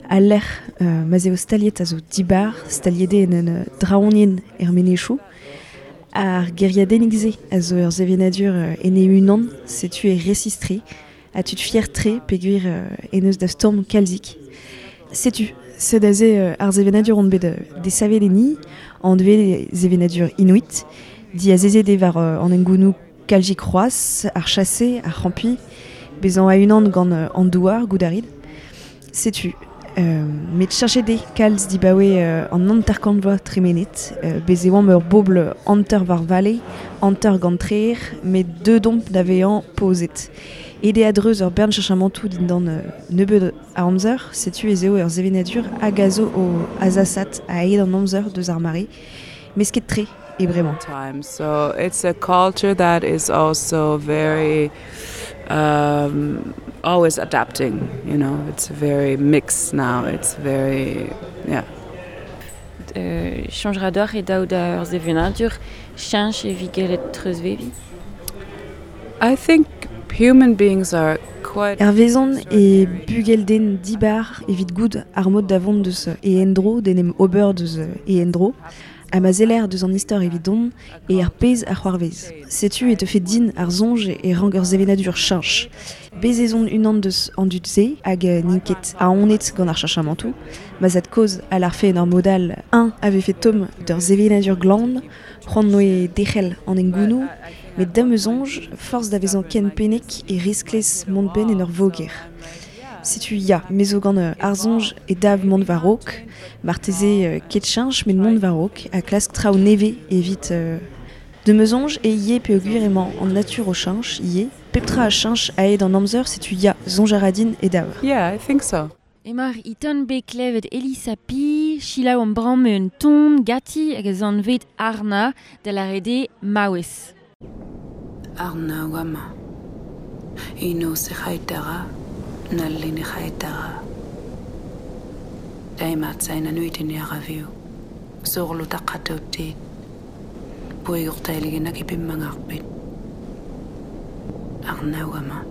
al lec'h uh, ma z'eo staliet a zo dibar, staliet eo en un uh, draonienn er menezioù. Ar gêriadennig-se a zo ur sevenadur uh, en e-unan, setu e resistre, a tud fier-tre peogwir uh, en eus da stourm kalzik. Setu, sed aze uh, ar sevenadur on bet uh, desavet enni, an dve sevenadur inuit, diazezet eo war uh, an engounoù kalzik c'hoazh, ar chase, ar c'hampi, bezañ a-unan gant uh, an douar, goudarid. Setu, euh, met cheñchet eo kalz dibaoe euh, an hanter-kant vloaz tremenet, euh, bez e oamp ur bobl hanter war vale, hanter gant treer, met deuet omp da vezañ pozet. Ede a-dreuz ur bern cheñchamantoù dindan euh, nebeud a amzer, setu ez eo ur sevenadur hag a zo o azasat a-hed an amzer deus ar mare, mesket-tre e bremañ. Time. So it's a culture that is also very um, always adapting, you know. It's very mixed now. It's very, yeah. Euh, Chañj ra deoc'h e daou da ur sevenadur, cheñch evit gellet treuzveviñ? I think human beings are quite... Hervezon e bugel-den dibar evit goût ar mod da vont deus e endro, d'en em ober deus e endro, ha ma zeller deus an istor evit don e ar pezh ar c'hoarvez. Setu e teufe din ar soñj e rank ur sevenadur cheñch. Bez ez on unan deus an dud-se hag n'int ket aonet gant ar cheñchamantoù, ma zad-kozh a larfe en ur mod all un a vefe tomm d'ur sevenadur glan, c'hoant noe derc'hel an engounoù, met da'm eus soñj, forzh da vezañ ken pennek e risklez mont benn en ur voger. Setu ya, me zo gant euh, ar soñj e dav mont war-raok, marteze euh, ket cheñch met mont war-raok ha klask traoù nevez evit euh, de me soñj e ivez peogwir emañ an natur o cheñch ivez, pep tra a cheñch a-hed an amzer, setu ya, soñj a ra din e dav. Yeah, I think so. Emañ Iton bet klevet Elissapi, selaou an bramm un ton gati hag a zanvet Arna da lâret eo maouez. Arna wama. Ino se c'haetara, nalli ne c'haetara. Daimat sain anuitin yaraviu. Zorlu taqatautit. Puigurtailigina kipimmangarpit. Arna wama.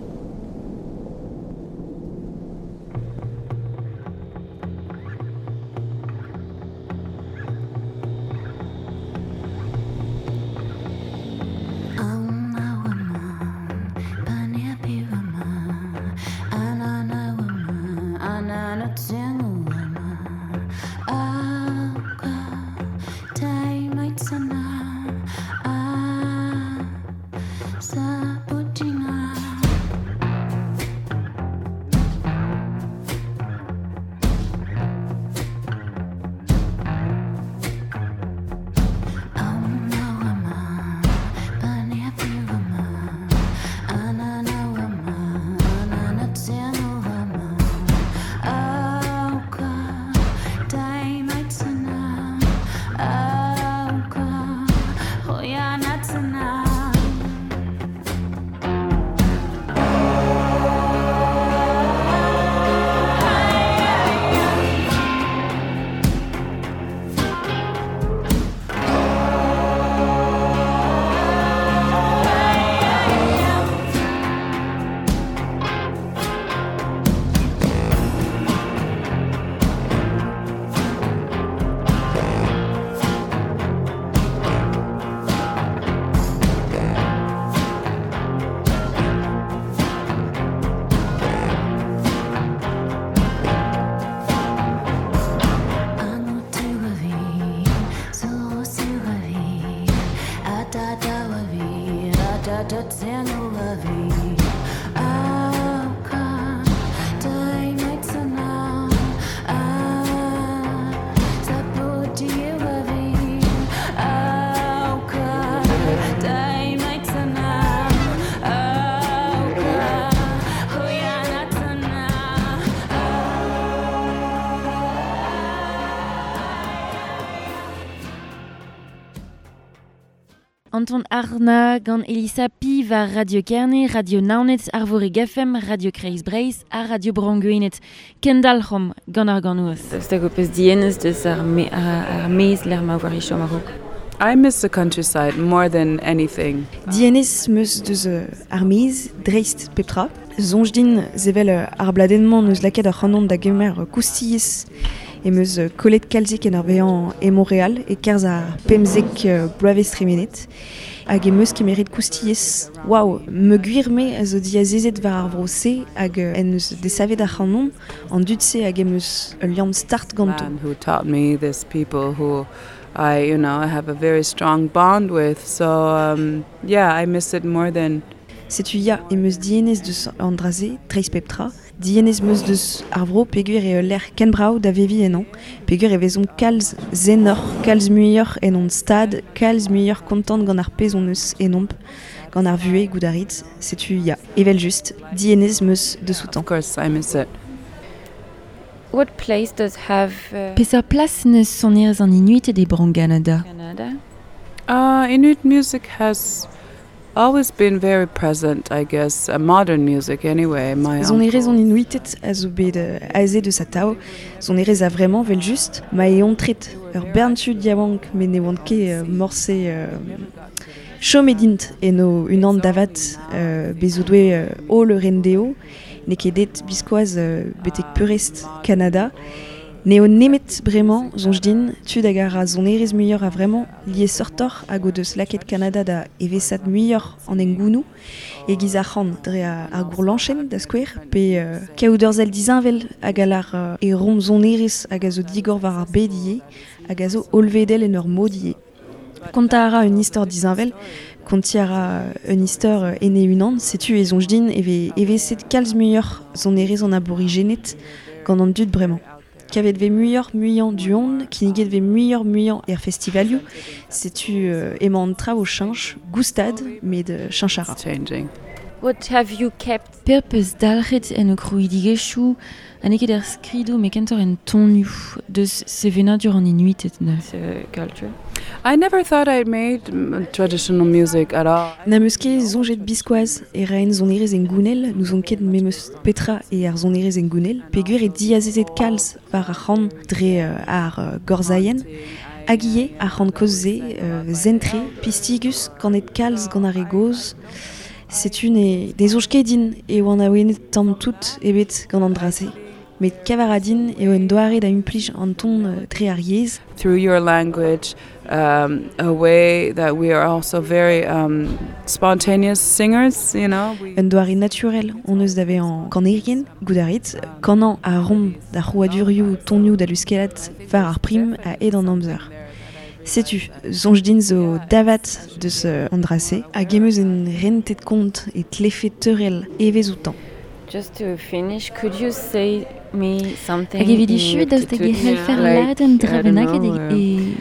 Saputinga. Anton Arna gant Elisa Pi war Radio Kerne, Radio Naoned, Arvorig F M, Radio Kreiz Breizh ha Radio Bro-Gwened. Kendalc'hom gant ar ganouz. Stag ho peus dienez deus ar, me, ar, ar mez l'er ma war ichom a-raok. I miss the countryside more than anything. Dienez meus deus ar mez, dreist pep tra. Soñj din zevel ar bladenn-mañ neus lakaet ar c'hanon da gemer koustilhez e meus kollet kalzik en ar vezañ e Montreal e kerzh ar pemzek bloavezh tremenet. Hag e meus kemerit koustilhez. Waouh, me gwir me a zo diazezet war ar vro-se hag en eus desavet ar c'hanon an dud-se hag e meus ul liamm start ganto. Man who taught me, this people who I, you know, I have a very strong bond with. So, um, yeah, I miss it more than... Setu ya e meus dienez deus an dra-se, dreist pep tra. Dienez meus deus ar vro peogwir eo lec'h ken brav da veviñ ennañ, peogwir e vezomp kalz zenoc'h, kalz muioc'h en hon stad, kalz muioc'h kontant gant ar pezh hon eus enomp, gant ar vuhez goudarit, setu ya, evel just, dienez meus deus outañ. Of course, I miss it. What place does have... Uh, Peseurt plas neus sonerezh an Inuited e Bro-Ganada? Canada? Uh, Inuit music has always been very present, I guess. Uh, modern music, anyway. My Sonerezh an Inuited a zo bet uh, aze deus atav, sonerezh a vraiment vel just, ma e ontret ur bern tud yaouank met ne oant ket uh, morse uh, chom edint eno unan davat uh, bezo doe uh, holl rendeo, n'eo ket det biskoazh uh, betek peurrest Kanada. N'eo nemet bremañ, soñj din, tud hag a ra sonerezh muioc'h a vraiment liesseurtoc'h hag o deus lakaet Kanada da evesat muioc'h an engounoù e-giz ar c'han dre ar gourlañchenn da skouer, pe uh, kaout ur sell disheñvel hag a lar uh, e rom sonerezh hag a zo digor war ar bed ivez, hag a zo hollvedel en ur mod ivez. Kontañ a ra un istor disheñvel, kontiñ a ra un istor ene unan, setu e soñj din e vez eveset kalz muioc'h sonerezh an aborigened gant an dud bremañ. Kavet vez muioc'h muiañ du-hont, kinniget vez muioc'h muiañ er festivalioù, setu euh, emañ an traoù o cheñch, goustad, met euh, cheñch a ra. Changing. What have you kept? Per peus dalc'het en o krouidigezhioù, ha n'eo ket er skridoù met kentoc'h en tonioù deus sevenadur an Inuited neuze. Uh, culture. I never thought I'd made traditional music at all. Na meus ket soñjet biskoazh e raen sonerezh engounel, n'ouzon ket memes petra e ar sonerezh engounel, peogwir e diazezet kalz war ar c'han dre uh, ar uh, gorzailhenn, hag ivez ar c'han kozh-se, uh, zentre, pistigus, kanet kalz gant ar re gozh. Setu ne ne soñj ket din e oan awenet tamm tout ebet gant an dra-se. Met kavaradin eo un doare da implij an ton uh, dre ar yezh. Through your language, um, a way that we are also very um, spontaneous singers, you know. We... Un doare naturel hon eus da vezañ kanerien, goudarit, kanañ a rom da c'hrouadurioù tonioù da luskellat war ar prim a hed an amzer. Setu, soñj din zo davat deus uh, an dra-se, hag em eus en rentet kont e tlefe teurel evezh outañ. Just to finish, could you say me something Hag evit echu, daoust hag e c'hellfer lakaat un dra bennak e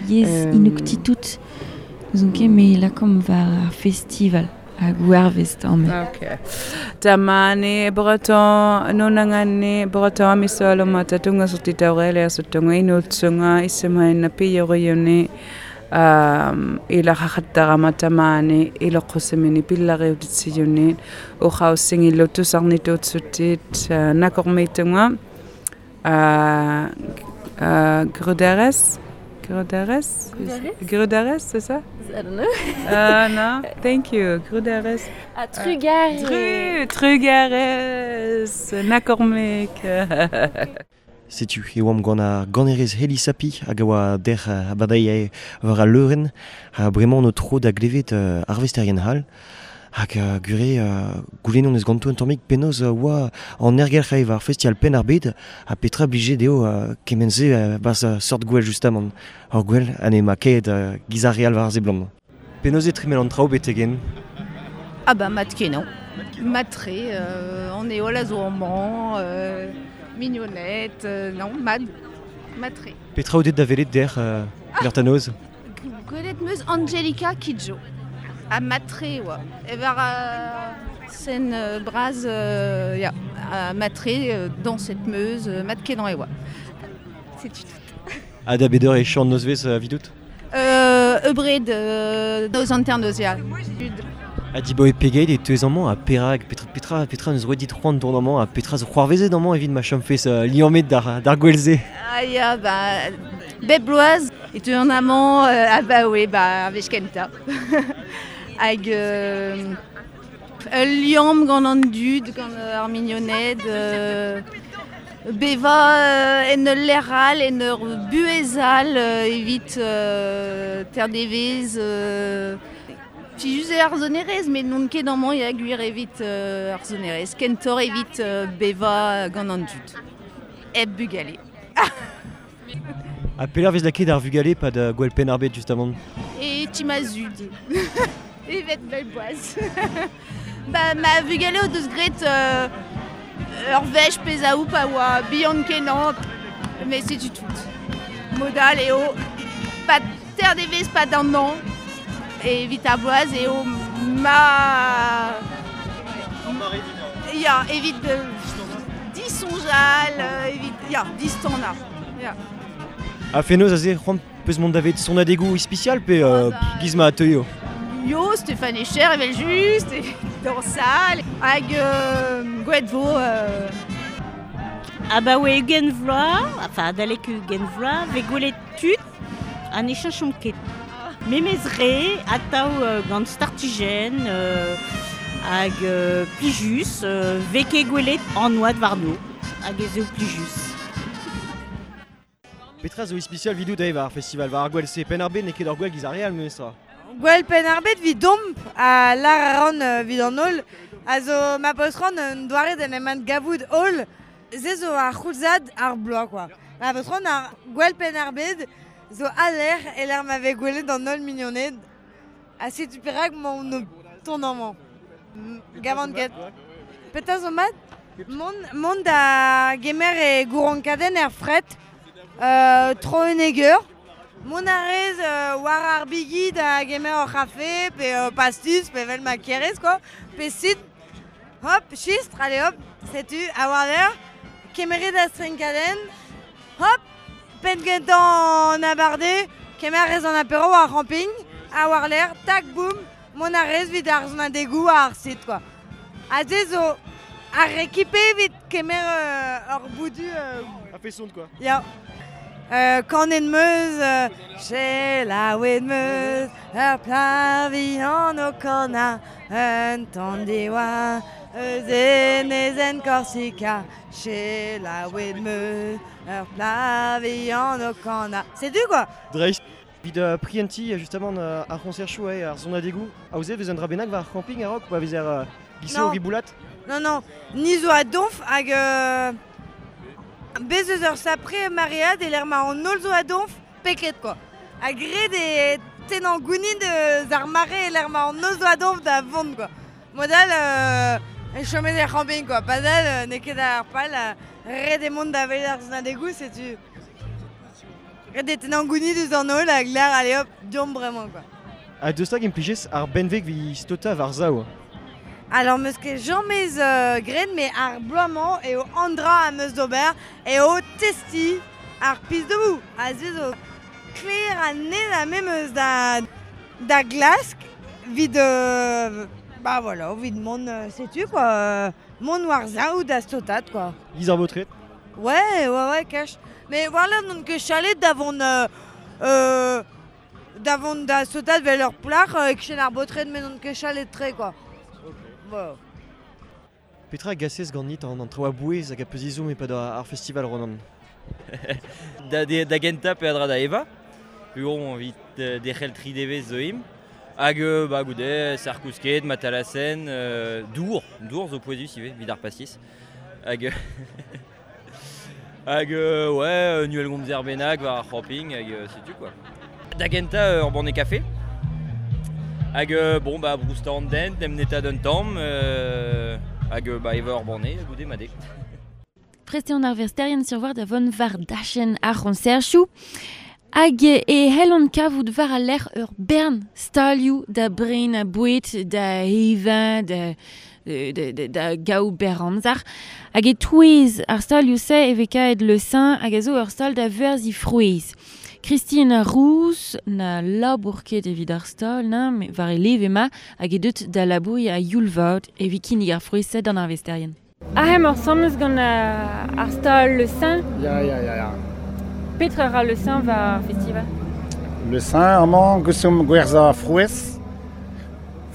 yezh Inuktitut. N'ouzon ket me lakaomp war ar festival hag warvest amañ. Okay. Tamani breton nunangani breton misolo matatunga sutitaurele sutunga inutsunga isimaina piyoriuni um ilaqaqattaqama tamani iloqqusimini pillariutitsiyunniit uqaussingillutusarnituutsutit nakormiitunga uh uh Gruderes Gruderes Gruderes, c'est ça? I don't know. Uh, no, thank you. Gruderes. Ah, Trugarez. Tru, Trugarez. Nakormik. Setu e oamp gant ar ganerez Helisapi hag a oa der abadailh war al leurenn ha bremañ o tro da glevet uh, arvesterien hall hag uh, gure uh, goulennon eus ganto un tammig penaos uh, oa an ergelc'h eo war festival Penn ar Bed ha petra blije dezho uh, kement-se uh, barzh uh, sort gwell justamant. Ur gwell ha ne ma ket uh, giz ar real war ar seblant. Penaos e tremel an traoù betegen? Ah bah mat kenañ. Matre, euh, an eol a zo amañ, euh, mignonnette, euh, non, mad, matre. Petra out da velet der euh, d'ar tanoz? Gwelet meus Angelica Kidjo. A matre, oa. E var euh, sen euh, braz, euh, ya, a matre euh, dans cette meuse, euh, mat kenañ e oa. Setu tout. Ha da beder e chant nozvez euh, vidout? Euh, Eubred, euh, noz hanternoz, ya. Ha dibaoe pegeit e teuez amañ ha perak, petra, petra, petra neus roet dit c'hoant dont amañ ha petra zo c'hoarvezet amañ evit ma chomfez euh, liammet d'ar, d'ar gwell-se? Ah ya, ba, bep bloaz, e teu an amañ, euh, ah ba oe, ba, ar wech kentañ. Hag euh, ul liamm gant an dud, gant ar mignoned, euh, beva euh, en ul lec'h all, en ur buhez all, euh, evit euh, ter devez, euh, Plijus eo ar sonerezh, met n'on ket amañ ya gwir evit euh, ar sonerezh. Kentoc'h evit euh, beva gant an dud. Hep bugale. Ha pelec'h vez lakaet ar vugale pad uh, gwell penn ar bed justement? E ti ma zud. Evet bel boaz. Ba, ma vugale o deus graet euh, ur wech pezh a pa oa bihan kenañ, met setu tout. Modal eo pa ter devez pa d'an an, evit ar bloaz eo ma... Ya, evit euh, disoñjal, euh, evit... Ya, distanañ. Ya. Ha fenoz aze c'hoant peus mont davet sonadegoù ispisial pe euh, giz ma teuio? Yo, Stéphane Echer evel just, e dansal, hag euh, gwelet vo... Euh... Abaoe ugent vloaz, enfin adalek ugent vloaz, vez gwelet tud an e cheñchomp ket. Memez re, atav euh, gant startijenn, euh, hag euh, plijus, euh, vez ket gwelet an oad warno, hag ez eo plijus. Petra zo ispisial vidout eo war ar festival, war ar gwell-se penn ar bed n'eo ket ur gwell giz ar re all memestra. Gwell penn ar bed 'vidomp ha lar a ran euh, 'vit an holl, a zo ma peus ran un doare d'en em gavout holl, se zo ar c'houlzad ar bloaz quoi. Ma peus ran ar gwell penn ar bed zo aler e l'ar ma vez gwelet an holl mignoned, ha setu perak m'on o ton amañ. Gavant ket. Petra zo mat? Mont, mont da gemer e gouronkadenn er fret, euh, tro un eger. Mont a rez euh, war ar bigi da gemer ur c'hafe, pe euh, pastis, pe vel ma kerez, quoi. Pe sit, hop, chistr, allez hop, setu, a war l'air, kemeret da strinkadenn, hop, penn gentañ an abarde, kemer rez an apéro war ar camping, a war l'air, tak, boum, mont a rez 'vit ar sonadegoù ar sit, quoi. Ha se zo ar rekipe evit kemer euh, ur boudu... Euh, A feson, quoi. Ya. Euh, kanet meus, euh, selaouet meus, ur plac'h vihan o kanañ, un tamm diwa, eus enezenn Korsika, selaouet meus, ur plac'h vihan o kanañ. Setu quoi. Dreist. Evit uh, prientiñ justement uh, ar c'hoñserchoù eo ar sonadegoù. Aozet vez un dra bennak war ar camping a-raok, pa vez er uh, gise o Non. riboulat? Non, non, ni zo a donf hag euh, bez eus ur sapre maread e l'er ma an holl zo a donf peket quoi. Ha graet e tennañ gounid eus ar mare e l'er ma an holl zo a donf da vont quoi. Modal euh, e chomet er camping quoi. Padal euh, n'eo ket ar pal, euh, ret e mont da welet ar sonadegoù, setu... Ret e tennañ gounid eus an holl hag l'er, allez hop, deomp bremañ quoi. Ha deus hag implijez ar benveg 'vit staotañ war sav? Alors meus ket jamez euh, graet, met ar bloaz-mañ eo an dra am eus d'ober eo testiñ ar pis debout. Ha se zo kleur ha net ha me meus da, da glask 'vit euh, bah voilà, 'vit mont euh, setu quoi, euh, mont war sav da staotat quoi. Giz ar baotred? Ouais, ouais, ouais, cash. Mais voilà, n'on ket chalet da vont euh, euh, da vont da staotat 'vel ur plac'h euh, e-kichen ar baotred, met n'on ket chalet tre quoi. Voilà. Petra gasez ganit an, an traoù a-bouez hag a peus ezhomm e-pad ar festival Ronan? Da, de, da gentañ peadra da evañ, peogwir evit euh, derc'hel tri devezh zo imp. Hag euh, ba, goude, sarkousket, matalasen, euh, dour, dour zo pouezus ivez, evit ar pastis. Hag, hag euh, ouais, nuel gomzer bennak war ar camping, hag euh, setu quoi. Da gentañ ur banne kafe. Hag, euh, bon, ba, brousta an den, dem neta d'un tamm, euh, hag, ba, eva ur banne, goude made. Preste an ar versterien sur war da von var dachen ar c'honserchou. Hag e hellon kavout war a lec'h ur bern stalioù da bren a bouet, da evañ, da, da, da, da gaou ber amzer. Hag e touez ar stalioù se e vez kaet le sein hag a zo ur stal da verzi frouez. Christine Rouz na labour ket evit ar stal, na, me war e leve ma hag e deut da labour a youlvaot evit kinnig ar frouez se d'an ar vesterien. Ahem ur samez gant ar stal le sein. Ya, ya, ya, ya. Petra ra le sein war festival? Le sein, amañ, gusum gwerza frouez.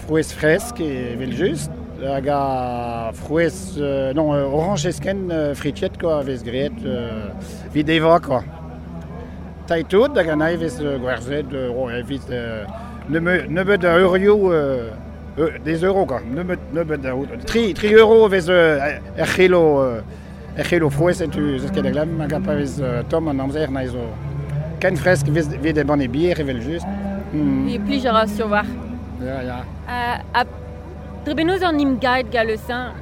Frouez fresk evel just. Hag a frouez, euh, non, euh, orange esken euh, fritiet, quoi, vez greet, euh, vid eva, quoi. Taïtout, hag an vez euh, gwerzet, euh, oh, evit, euh, nebeut a eurioù, euh, euh, des euros, quoi. Nebeut, nebeut a, tri, tri euro vez euh, er c'helo, euh, er c'helo frouez entu zeus ket a glam, hag a pa vez euh, tom an amzer na zo ken fresk vez, vid e ban e bier evel just. Mm. E plij a ra sur war. Ya, ya. Uh, a dre benoz an im gaet ga le sein?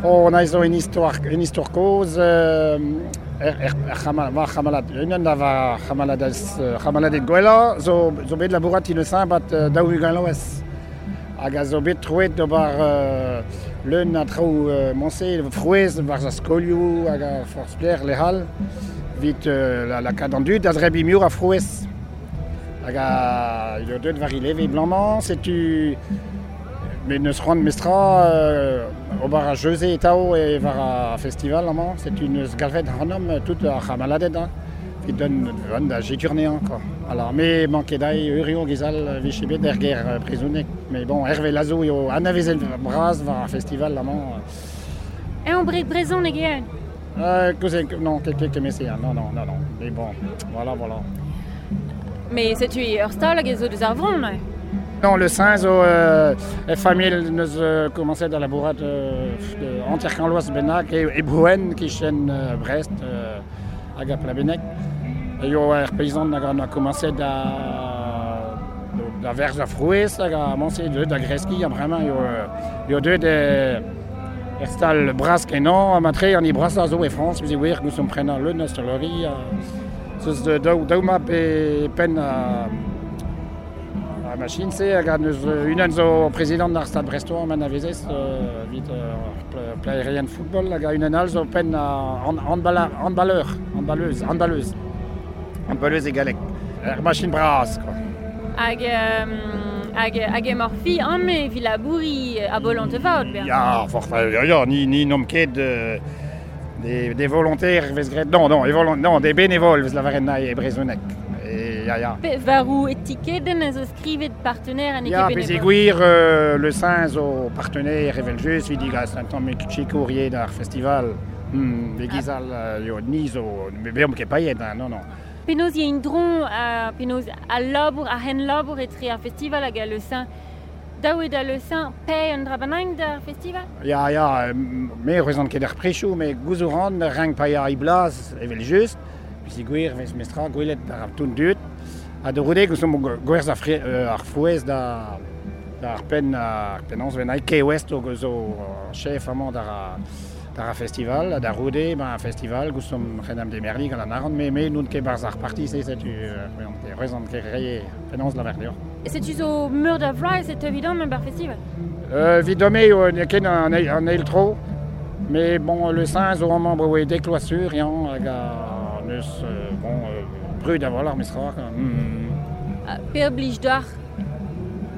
Oh, na zo un istor, un istor koz, euh, er, er, er c'hamal, war c'hamalad, unan da war c'hamaladez, c'hamaladet gwella, zo, zo bet labourat in le sein bat euh, daou ugent loez. Hag a zo bet troet d'ober euh, leun a traoù euh, monse, frouez war a skolioù hag a forz pler lehal, vit euh, la, la kad an dud, a zreb imiour a frouez. Hag a eo deut war ileve blanc-mañ, setu met neus c'hoant mestra euh, ober a jeuze etao e war a festival amañ, setu neus galvet hanom tout ar c'hamaladet, hein, vit don van da jeturneañ, quoi. Alors, me manket dai eurio gizal viche bet er ger prezounek. Mais bon, Hervé Lazo eo anavezen braz war ar festival amañ. E on brek brezhoneg eo? Euh, kouzen, non, ket ket kemese, non, non, non, non. Mais bon, voilà, voilà. Mais setu ur stal hag e zo deus ar vron, ouais. Non, le sein zo euh, e familh neus euh, komañset da labourat euh, de anterkanloaz bennak e, e Brouen kichen euh, Brest euh, hag a Plabeneg. Eo er peizant hag an a komañset da da verz a frouez hag a manse deut da greski a bremañ eo, eo deut e, er stal bras kenañ a matre an i brasa zo e Frañs vez e wir gousom prenañ leun a stolori a zeus de daou, daou map e penn a a machine se hag a neus unan zo prezident ar stad Brestois man a vezez euh, vit euh, plaerien football hag a unan all zo penn a handballeur, handballeur, handballeuse, handballeuse. Handballeuse e galleg. Er machine bras, quoi. Hag, euh, hag, hag emañ fi amme vi labouri a bolante vaot, ber. Ya, forz, ya, ya, ni, ni n'omp ket euh, des, des volontaires vez graet, non, non, e non, des bénévoles vez lavaren nae e brezhoneg. E, ya, ya. Pe varou etikeden a zo skrivet partenaire an Ya, eket pez bénévole. gwir euh, le sein zo partenaire evel just, vit digas un tamm chikourier d'ar festival. Hmm, de gizal, euh, yo, ni zo, me beomp ket paillet, hein, non, non. Penaos y a un dron, uh, penaos a labour, a hen labour etre ar festival hag a le sein. Daou eo da le sein pe un dra bennak d'ar festival? Ya, ya, me rezant ket ar prechoù, me gouzout ran renk paia i blaz evel just, pis gwir vez mestra gwelet ar toun dud, ha de roude gouzout gwerz ar, fre, euh, ar frouez da, da ar penn ar penaos ven ai Key West o zo chef amañ d'ar d'ar festival, da roude, ben ar festival, gouzout renam de merli gant an aran, me, me n'oun ket barz ar parti, se setu rezant ket reie penaos la verdeor. E setu zo meur da vloaz et evident men bar festival? Euh, vidome eo n'eo ket an, an eil tro, mais bon, le sein zo amañ brewe dekloasur, yañ, hag a neus, euh, bon, euh, brud a volar mestra, quoi. Mm. Uh, per blij d'ar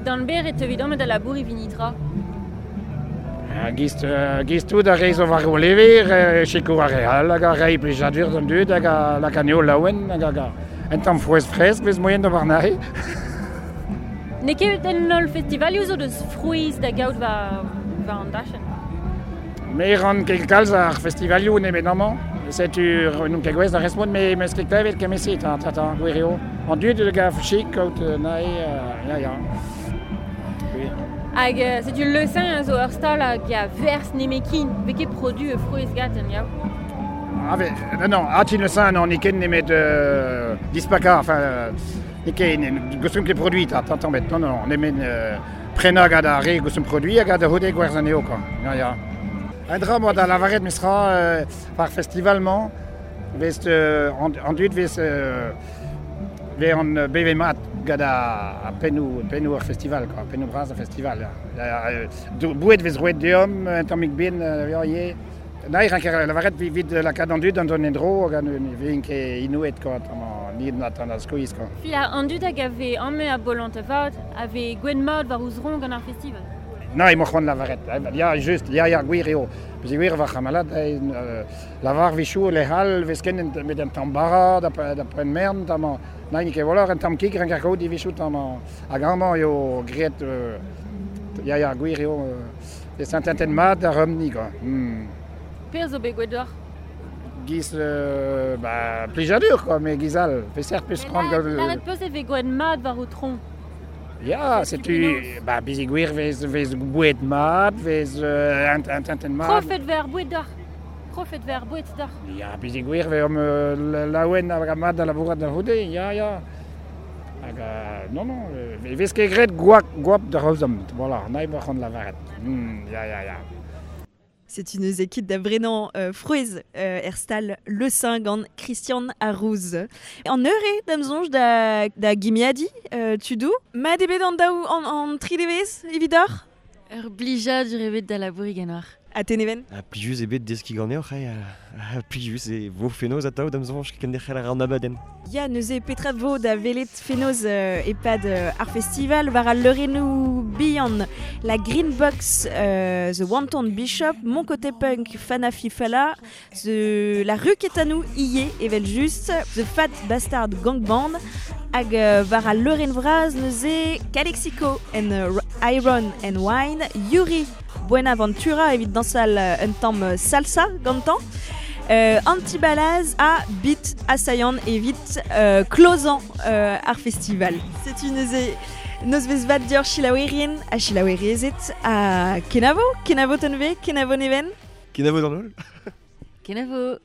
d'an ber et evident men da labour e vinitra. Gist, uh, gist tout a reiz o war o lever, uh, chikour ar real, hag a rei plijadur d'an dud, hag a lak aneo laouen, hag a un tamm frouez fresk vez moyen da warnae. N'eo ket en holl festivalioù zo deus frouez da gaout war, war an dachenn? Me ran ket kalz ar festivalioù nemet amañ. Setu n'on ket gwez da respont, me meus ket klevet kemese, ta, ta, ta, gwir eo. An dud gav chik kaout nae, uh, ya, ya. Gwir. Hag euh, setu le sein zo ur stal hag a vers nemekin, vez ket produ e frouez gaten, ya. Ah, ve, non, non, atin le sein, non, n'eo ket nemet euh, dispaka, enfin, euh, Ne ket, gosum ket produit, ta, tamm bet, non, non, nemet euh, prenañ gant ar re gosum produit hag a hode gwerzh anezho, quoi. Ya, ya. Un dra moa da lavaret mestra euh, par festival-mañ, vez euh, an, an dud vez euh, vez an euh, beve mat gant a, a pennoù, pennoù ar festival, quoi, pennoù bras ar festival. Ya. Ya, euh, bouet vez roet deomp, un tammig bin, euh, ya, ye. Na, ir anker lavaret vi vid lakaat an dud an don endro, hag an vin ket inouet, quoi, tamm nid na tan a skuizh, quoi. Fi an dud hag ave amme a bolant a vat, ave gwen mat war ouz rong gant ar festival. Na, emañ c'hoant lavaret. Ya, just, ya, ya, gwir eo. Peus gwir war c'hamalad, euh, lavar vichou le hal, vez ken met un tamm bara, da, da pren mern, tamm, na, ket volor, un tamm kig, renker kaout di vichou tamm, hag amañ eo graet, euh, ya, ya, gwir eo, euh, e saint-enten mat da rumni, quoi. Hmm. Per zo bet gwet d'or? Giz, euh, ba, plijadur, quoi, mais giz all, peseurt peus c'hoant gant... Laret peus e vez gwen mat war o tron. Ya, setu, ba, bizi gwir vez, vez bouet mat, vez euh, un, un tinten mat. Profet ver bouet d'or. Profet ver bouet d'or. Ya, bizi gwir vez om euh, laouen hag mat da labourat da houde, ya, ya. Hag, euh, non, non, euh, vez ket graet gwap, gwap da raozom, voilà, nae emañ c'hoant lavaret. Hmm, ya, ya, ya. C'est une équipe da brenan euh, frouez euh, erstal Le Saint gant Christian Arrouz. En eure damzonj da, da gimiadi, euh, tudou. Ma debet an daou an, an tri devez, evidor? Ur blijadur evet da labouri ganoar. A teneven? A plijus ebet deski ganeoc'h, eh, a, a plijus e vo fenoz atav damzonj kenderc'hel ar an abadenn. Ya, neuze petra vo da velet fenoz euh, epad euh, ar festival war al leurennoù bihan la Green Box, euh, The Wanton Bishop, Mon Côté Punk, Fana Fifala, The, la rue Ketanou, Iye, evel just, The Fat Bastard Gang Band, hag euh, war al leurenn vraz neuze Calexico and uh, Iron and Wine, Yuri Buenaventura evit dansal euh, un tamm euh, salsa gantañ. Euh, Antibalaz a bit assaillant evit euh, closant euh, ar festival. C'est une neuze noz vez vat dior chilaouerien a chilaouerezet a kenavo, kenavo tenve, kenavo neven. Kenavo d'an holl. Kenavo.